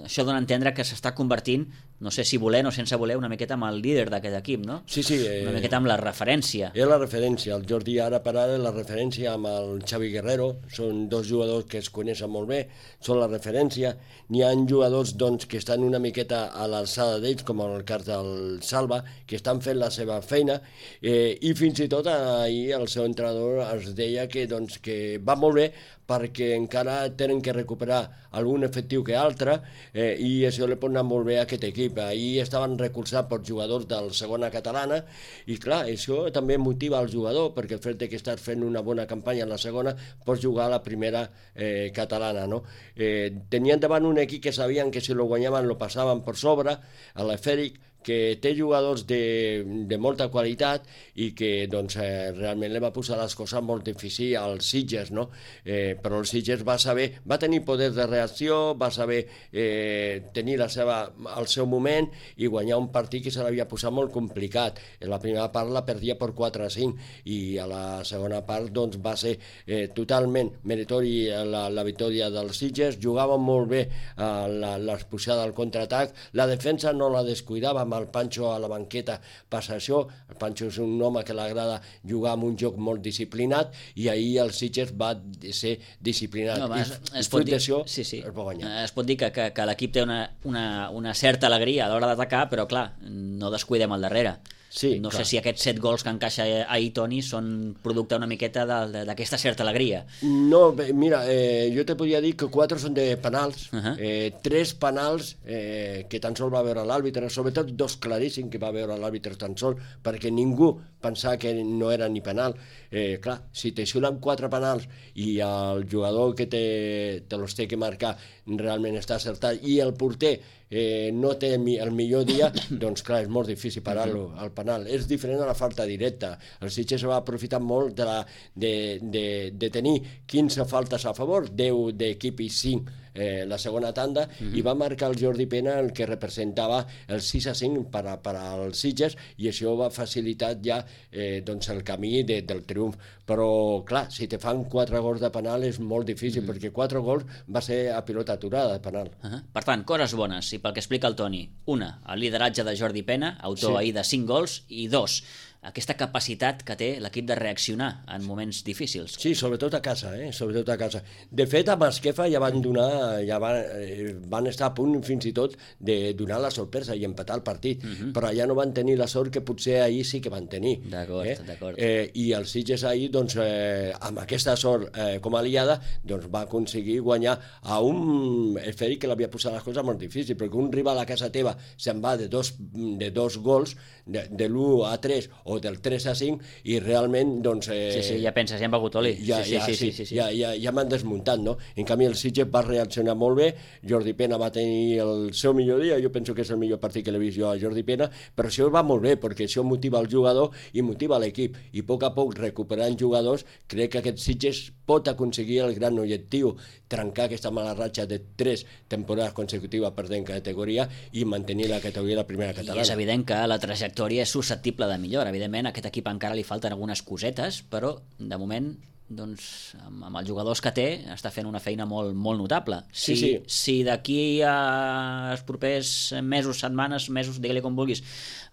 això dona a entendre que s'està convertint, no sé si voler o sense voler, una miqueta amb el líder d'aquest equip, no?
Sí, sí. Eh...
Una miqueta amb la referència.
És la referència. El Jordi ara per ara és la referència amb el Xavi Guerrero. Són dos jugadors que es coneixen molt bé, són la referència. N'hi ha jugadors doncs, que estan una miqueta a l'alçada d'ells, com el cas del Salva, que estan fent la seva feina, eh, i fins i tot ahir el seu entrenador es deia que, doncs, que va molt bé perquè encara tenen que recuperar algun efectiu que altre, eh, i això li pot anar molt bé a aquest equip. Ahir estaven recolzats per jugadors de la segona catalana i clar, això també motiva el jugador, perquè el fet que estàs fent una bona campanya en la segona pots jugar a la primera eh, catalana, no? Eh, tenien davant un equip que sabien que si lo guanyaven lo passaven per sobre, a l'Esfèric, que té jugadors de, de molta qualitat i que doncs, eh, realment li va posar les coses molt difícils als Sitges, no? Eh, però el Sitges va saber, va tenir poder de reacció, va saber eh, tenir la seva, el seu moment i guanyar un partit que se l'havia posat molt complicat. En la primera part la perdia per quatre a cinc i a la segona part doncs, va ser eh, totalment meritori la, la victòria dels Sitges. Jugaven molt bé eh, l'expulsada al contraatac, la defensa no la descuidava amb el Pancho a la banqueta passa això. El Pancho és un home que l'agrada jugar amb un joc molt disciplinat i ahir el Sitges va ser disciplinat.
No,
I
es, es,
fruit
pot dir,
d'això
sí, sí.
es va guanyar.
Es pot dir que, que, que l'equip té una, una, una certa alegria a l'hora d'atacar, però clar, no descuidem al darrere.
Sí,
no
clar.
sé si aquests set gols que encaixa ahir Toni són producte una miqueta d'aquesta certa alegria.
No, bé, mira, eh, jo te podria dir que quatre són de penals,
uh -huh.
eh, tres penals eh, que tan sol va veure l'àrbitre, sobretot dos claríssims que va veure l'àrbitre tan sol, perquè ningú pensava que no era ni penal. Eh, clar, si te xulen quatre penals i el jugador que te, te los té que marcar realment està acertat i el porter eh, no té el millor dia, doncs clar, és molt difícil parar-lo al penal. És diferent a la falta directa. El Sitges va aprofitar molt de, la, de, de, de tenir quinze faltes a favor, deu d'equip i cinc eh, la segona tanda, uh -huh. i va marcar el Jordi Pena el que representava el sis a cinc per, a, per als Sitges, i això va facilitar ja eh, doncs el camí de, del triomf. Però clar, si te fan quatre gols de penal és molt difícil, uh -huh. perquè quatre gols va ser a pilota aturada de penal.
Uh -huh. Per tant, coses bones, i pel que explica el Toni: una, el lideratge de Jordi Pena, autor
Sí.
ahir de cinc gols, i dos, aquesta capacitat que té l'equip de reaccionar en moments difícils.
Sí, sobretot a casa, eh? sobretot a casa. De fet, a Masquefa ja van donar, ja van, eh, van estar a punt fins i tot de donar la sorpresa i empatar el partit, uh -huh. però ja no van tenir la sort que potser ahir sí que van tenir.
D'acord,
eh?
d'acord.
Eh, I el Sitges ahir, doncs, eh, amb aquesta sort eh, com a aliada, doncs va aconseguir guanyar a un esfèric que l'havia posat les coses molt difícil, perquè un rival a casa teva se'n va de dos, de dos gols, de, de l'u a tres o del tres a cinc, i realment, doncs... Eh,
Sí, sí, ja penses, ja hem begut oli.
Ja,
sí,
ja,
sí,
sí,
sí, sí, sí.
ja, ja, ja m'han desmuntat, no? En canvi, el Sitges va reaccionar molt bé, Jordi Pena va tenir el seu millor dia, jo penso que és el millor partit que l'he vist jo a Jordi Pena, però això va molt bé, perquè això motiva el jugador i motiva l'equip, i a poc a poc, recuperant jugadors, crec que aquest Sitges pot aconseguir el gran objectiu, trencar aquesta mala ratxa de tres temporades consecutives perdent categoria i mantenir la categoria de la primera catalana.
I és evident que la trajectòria és susceptible de millora. Evidentment, a aquest equip encara li falten algunes cosetes, però de moment, doncs, amb, amb els jugadors que té, està fent una feina molt, molt notable. Si,
Sí, sí.
si d'aquí als propers mesos, setmanes, mesos, digue-li com vulguis,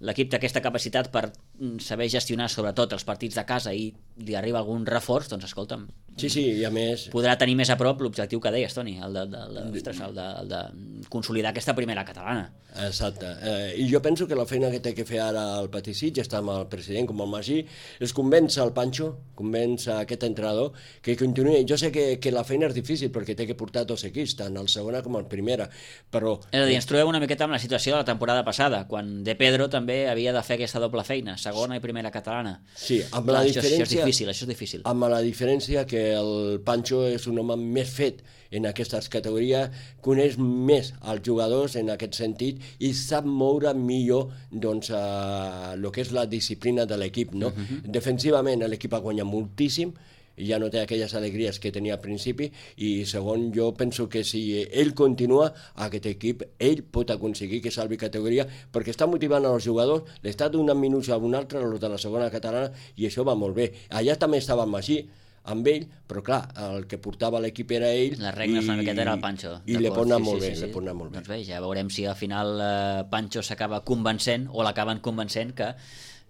l'equip té aquesta capacitat per saber gestionar sobretot els partits de casa i li arriba algun reforç, doncs escolta'm,
Sí, sí, i a més...
podrà tenir més a prop l'objectiu que deies, Toni, el de, de, de, ostres, el de, el de consolidar aquesta primera catalana.
Exacte. Eh, I jo penso que la feina que té que fer ara el Petit Sitges, està amb el president com el Magí, és convèncer el Pancho, convèncer aquest entrenador, que continuï. Jo sé que, que la feina és difícil perquè té que portar dos equips, tant el segona com el primera, però...
És a dir, ens trobem una miqueta amb la situació de la temporada passada, quan De Pedro també havia de fer aquesta doble feina, segona i primera catalana.
Sí, amb
Clar,
la
això,
diferència...
això és difícil, això és difícil.
Amb la diferència que el Pancho és un home més fet en aquestes categories, coneix més els jugadors en aquest sentit i sap moure millor doncs, eh, el que és la disciplina de l'equip. No?
Mhm.
Defensivament l'equip ha guanyat moltíssim, ja no té aquelles alegries que tenia al principi, i segon, jo penso que si ell continua, aquest equip, ell pot aconseguir que salvi categoria, perquè està motivant els jugadors, l'està donant minuts a un altre, els de la segona catalana, i això va molt bé. Allà també estava Magí, amb ell, però clar, el que portava l'equip era ell.
Les regnes una miqueta era el Pancho.
I li pot anar
sí,
molt
sí,
bé,
sí,
li
sí.
pot anar molt bé.
Doncs bé, ja veurem si al final eh, Pancho s'acaba convencent, o l'acaben convencent que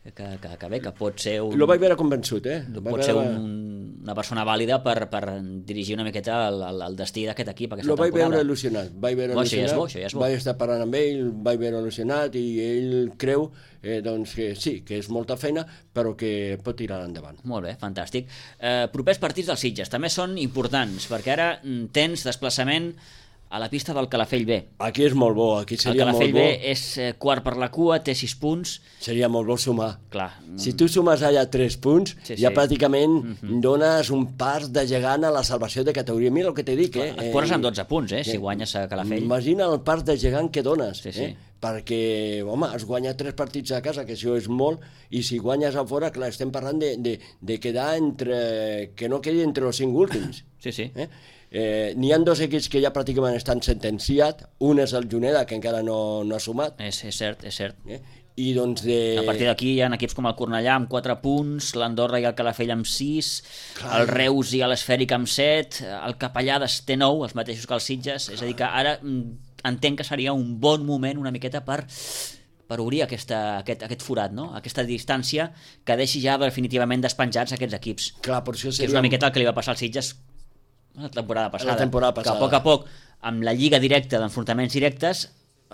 Que, que, que bé, que pot ser un...
Lo vaig veure convençut, eh? Lo
pot
vaig
ser
veure...
un, una persona vàlida per, per dirigir una miqueta el, el, el destí d'aquest equip aquesta
Lo vaig
temporada.
veure il·lusionat, vaig veure
Bo, això ja és
il·lusionat,
bo, això ja és bo.
vaig estar parlant amb ell, vaig veure il·lusionat, i ell creu eh, doncs que sí, que és molta feina, però que pot tirar endavant.
Molt bé, fantàstic. Eh, propers partits dels Sitges també són importants, perquè ara mm, tens desplaçament a la pista del Calafell B.
Aquí és molt bo, aquí seria molt bo.
El Calafell B és eh, quart per la cua, té sis punts.
Seria molt bo sumar.
Clar.
Si tu sumes allà tres punts,
Sí,
ja
sí.
pràcticament
Mhm.
dones un pas de gegant a la salvació de categoria. Mira el que t'he dit, eh?
Et poses amb dotze punts, eh, si guanyes a Calafell.
Imagina el pas de gegant que dones,
Sí, sí.
eh? Perquè, home, has guanyat tres partits a casa, que això és molt, i si guanyes a fora, clar, estem parlant de, de, de quedar entre... que no quedi entre els cinc últims.
Sí, sí.
Eh? Eh, N'hi ha dos equips que ja pràcticament estan sentenciats, un és el Juneda, que encara no, no ha sumat.
És, és cert, és cert.
Eh? I doncs de...
A partir d'aquí hi ha equips com el Cornellà amb quatre punts, l'Andorra i el Calafell amb sis,
Clar.
el Reus i l'Esfèric amb set, el Capellades té nou, els mateixos que els Sitges, és a dir que ara mm, entenc que seria un bon moment una miqueta per, per obrir aquesta, aquest, aquest forat, no? Aquesta distància que deixi ja definitivament despenjats aquests equips.
Clar, per això seria...
Que és una miqueta el que li va passar als Sitges la temporada passada,
la temporada passada.
que a poc a poc, amb la lliga directa d'enfrontaments directes,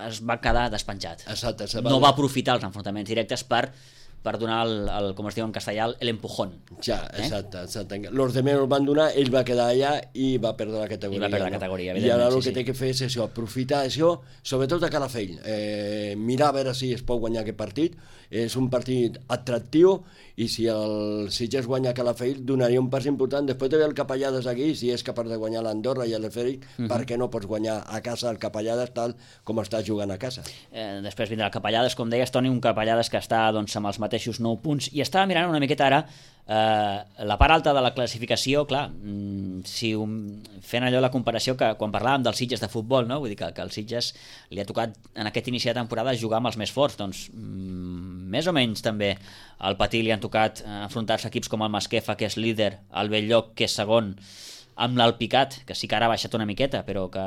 es va quedar despenjat.
Exacte, se
va... No va aprofitar els enfrontaments directes per per donar, el, el, com es diu en castellà, el empujón.
Ja, exacte, exacte. Los demés el van donar, ell va quedar allà i va perdre la categoria.
I va perdre la categoria, no? I
ara el
sí,
que
sí.
té que fer és això, aprofitar això, sobretot a Calafell, eh, mirar a veure si es pot guanyar aquest partit. És un partit atractiu i si el Sitges guanya a Calafell donaria un pas important. Després de veure el Capellades aquí, si és capaç de guanyar l'Andorra i l'Efèric, uh -huh. per què no pots guanyar a casa el Capellades tal com està jugant a casa?
Eh, després vindrà el Capellades, com deies, Toni, un Capellades que està doncs, amb els mateixos nou punts, i estava mirant una miqueta ara eh, la part alta de la classificació, clar, si un, fent allò la comparació que quan parlàvem dels Sitges de futbol, no? Vull dir que, que als Sitges li ha tocat en aquest inici de temporada jugar amb els més forts, doncs mm, més o menys també al Patí li han tocat enfrontar-se a equips com el Masquefa, que és líder, el Belllloc, que és segon, amb l'Alpicat, que sí que ara ha baixat una miqueta, però que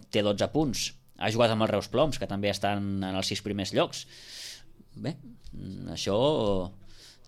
té dotze punts, ha jugat amb els Reus Ploms, que també estan en els sis primers llocs. Bé, això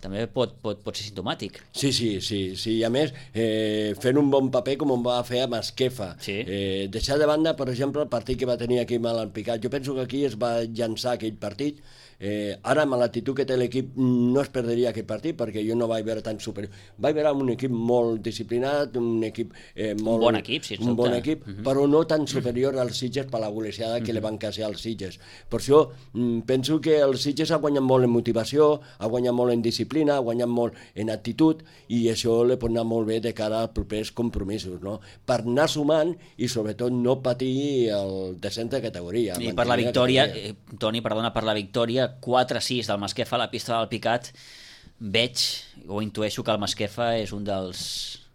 també pot, pot, pot ser simptomàtic.
Sí, sí, sí, sí. I a més, eh, fent un bon paper com va fer a Masquefa.
Sí.
Eh, deixar de banda, per exemple, el partit que va tenir aquí amb l'Alpicat. Jo penso que aquí es va llançar aquell partit. Eh, ara, amb l'actitud que té l'equip, no es perderia aquest partit, perquè jo no vaig veure tan superior. Vaig veure un equip molt disciplinat, un equip eh, molt...
Un bon equip, sí,
Un bon equip, uh -huh. però no tan superior als Sitges per la golejada que uh -huh. li van causar als Sitges. Per això, mm, penso que els Sitges ha guanyat molt en motivació, ha guanyat molt en disciplina, ha guanyat molt en actitud, i això li pot anar molt bé de cara als propers compromisos, no? Per anar sumant i, sobretot, no patir el descens de categoria.
I per la victòria, eh, Toni, perdona, per la victòria quatre a sis del Masquefa a la pista del Picat, veig o intueixo que el Masquefa és un dels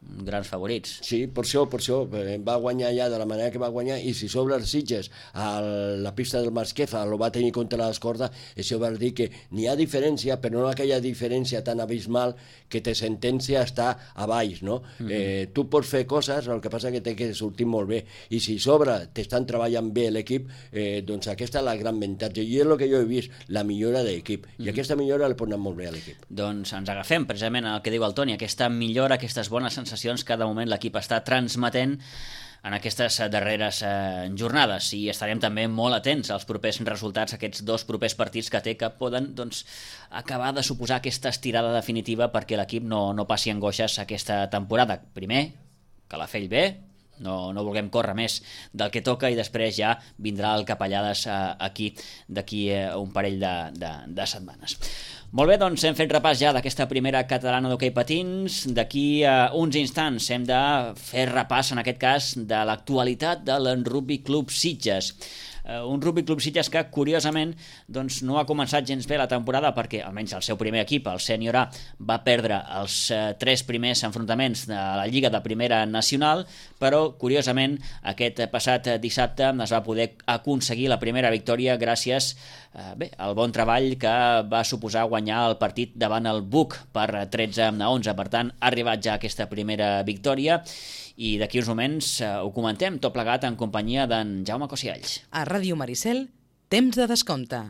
grans favorits.
Sí, per això, per això va guanyar ja de la manera que va guanyar, i si sobre els Sitges a la pista del Masquefa el va tenir contra l'escorda, això vol dir que n'hi ha diferència, però no aquella diferència tan abismal que te sentencia a estar a baix, no? Uh -huh. eh, tu pots fer coses, el que passa que té que sortir molt bé, i si sobre t'estan treballant bé l'equip, eh, doncs aquesta és la gran avantatge, i és el que jo he vist, la millora de l'equip, uh -huh. i aquesta millora li pot anar molt bé a l'equip.
Doncs ens agafem precisament al que diu el Toni, aquesta millora, aquestes bones sensacions que de moment l'equip està transmetent en aquestes darreres eh, jornades, i estarem també molt atents als propers resultats, aquests dos propers partits que té, que poden doncs, acabar de suposar aquesta estirada definitiva perquè l'equip no, no passi angoixes aquesta temporada. Primer, Calafell bé, no, no vulguem córrer més del que toca, i després ja vindrà el Capellades eh, aquí d'aquí eh, un parell de, de, de setmanes. Molt bé, doncs hem fet repàs ja d'aquesta primera catalana d'hoquei patins. D'aquí a uns instants hem de fer repàs, en aquest cas, de l'actualitat de l'Rugby Club Sitges. Uh, un Rugby Club Sitges que, curiosament, doncs, no ha començat gens bé la temporada, perquè almenys el seu primer equip, el Sènior A, va perdre els uh, tres primers enfrontaments de la Lliga de Primera Nacional, però, curiosament, aquest passat dissabte es va poder aconseguir la primera victòria gràcies uh, bé, al bon treball que va suposar guanyar el partit davant el Buc per tretze a onze. Per tant, ha arribat ja aquesta primera victòria, i d'aquí uns moments eh, ho comentem tot plegat en companyia d'en Jaume Cosialls.
A Ràdio Maricel, temps de descompte.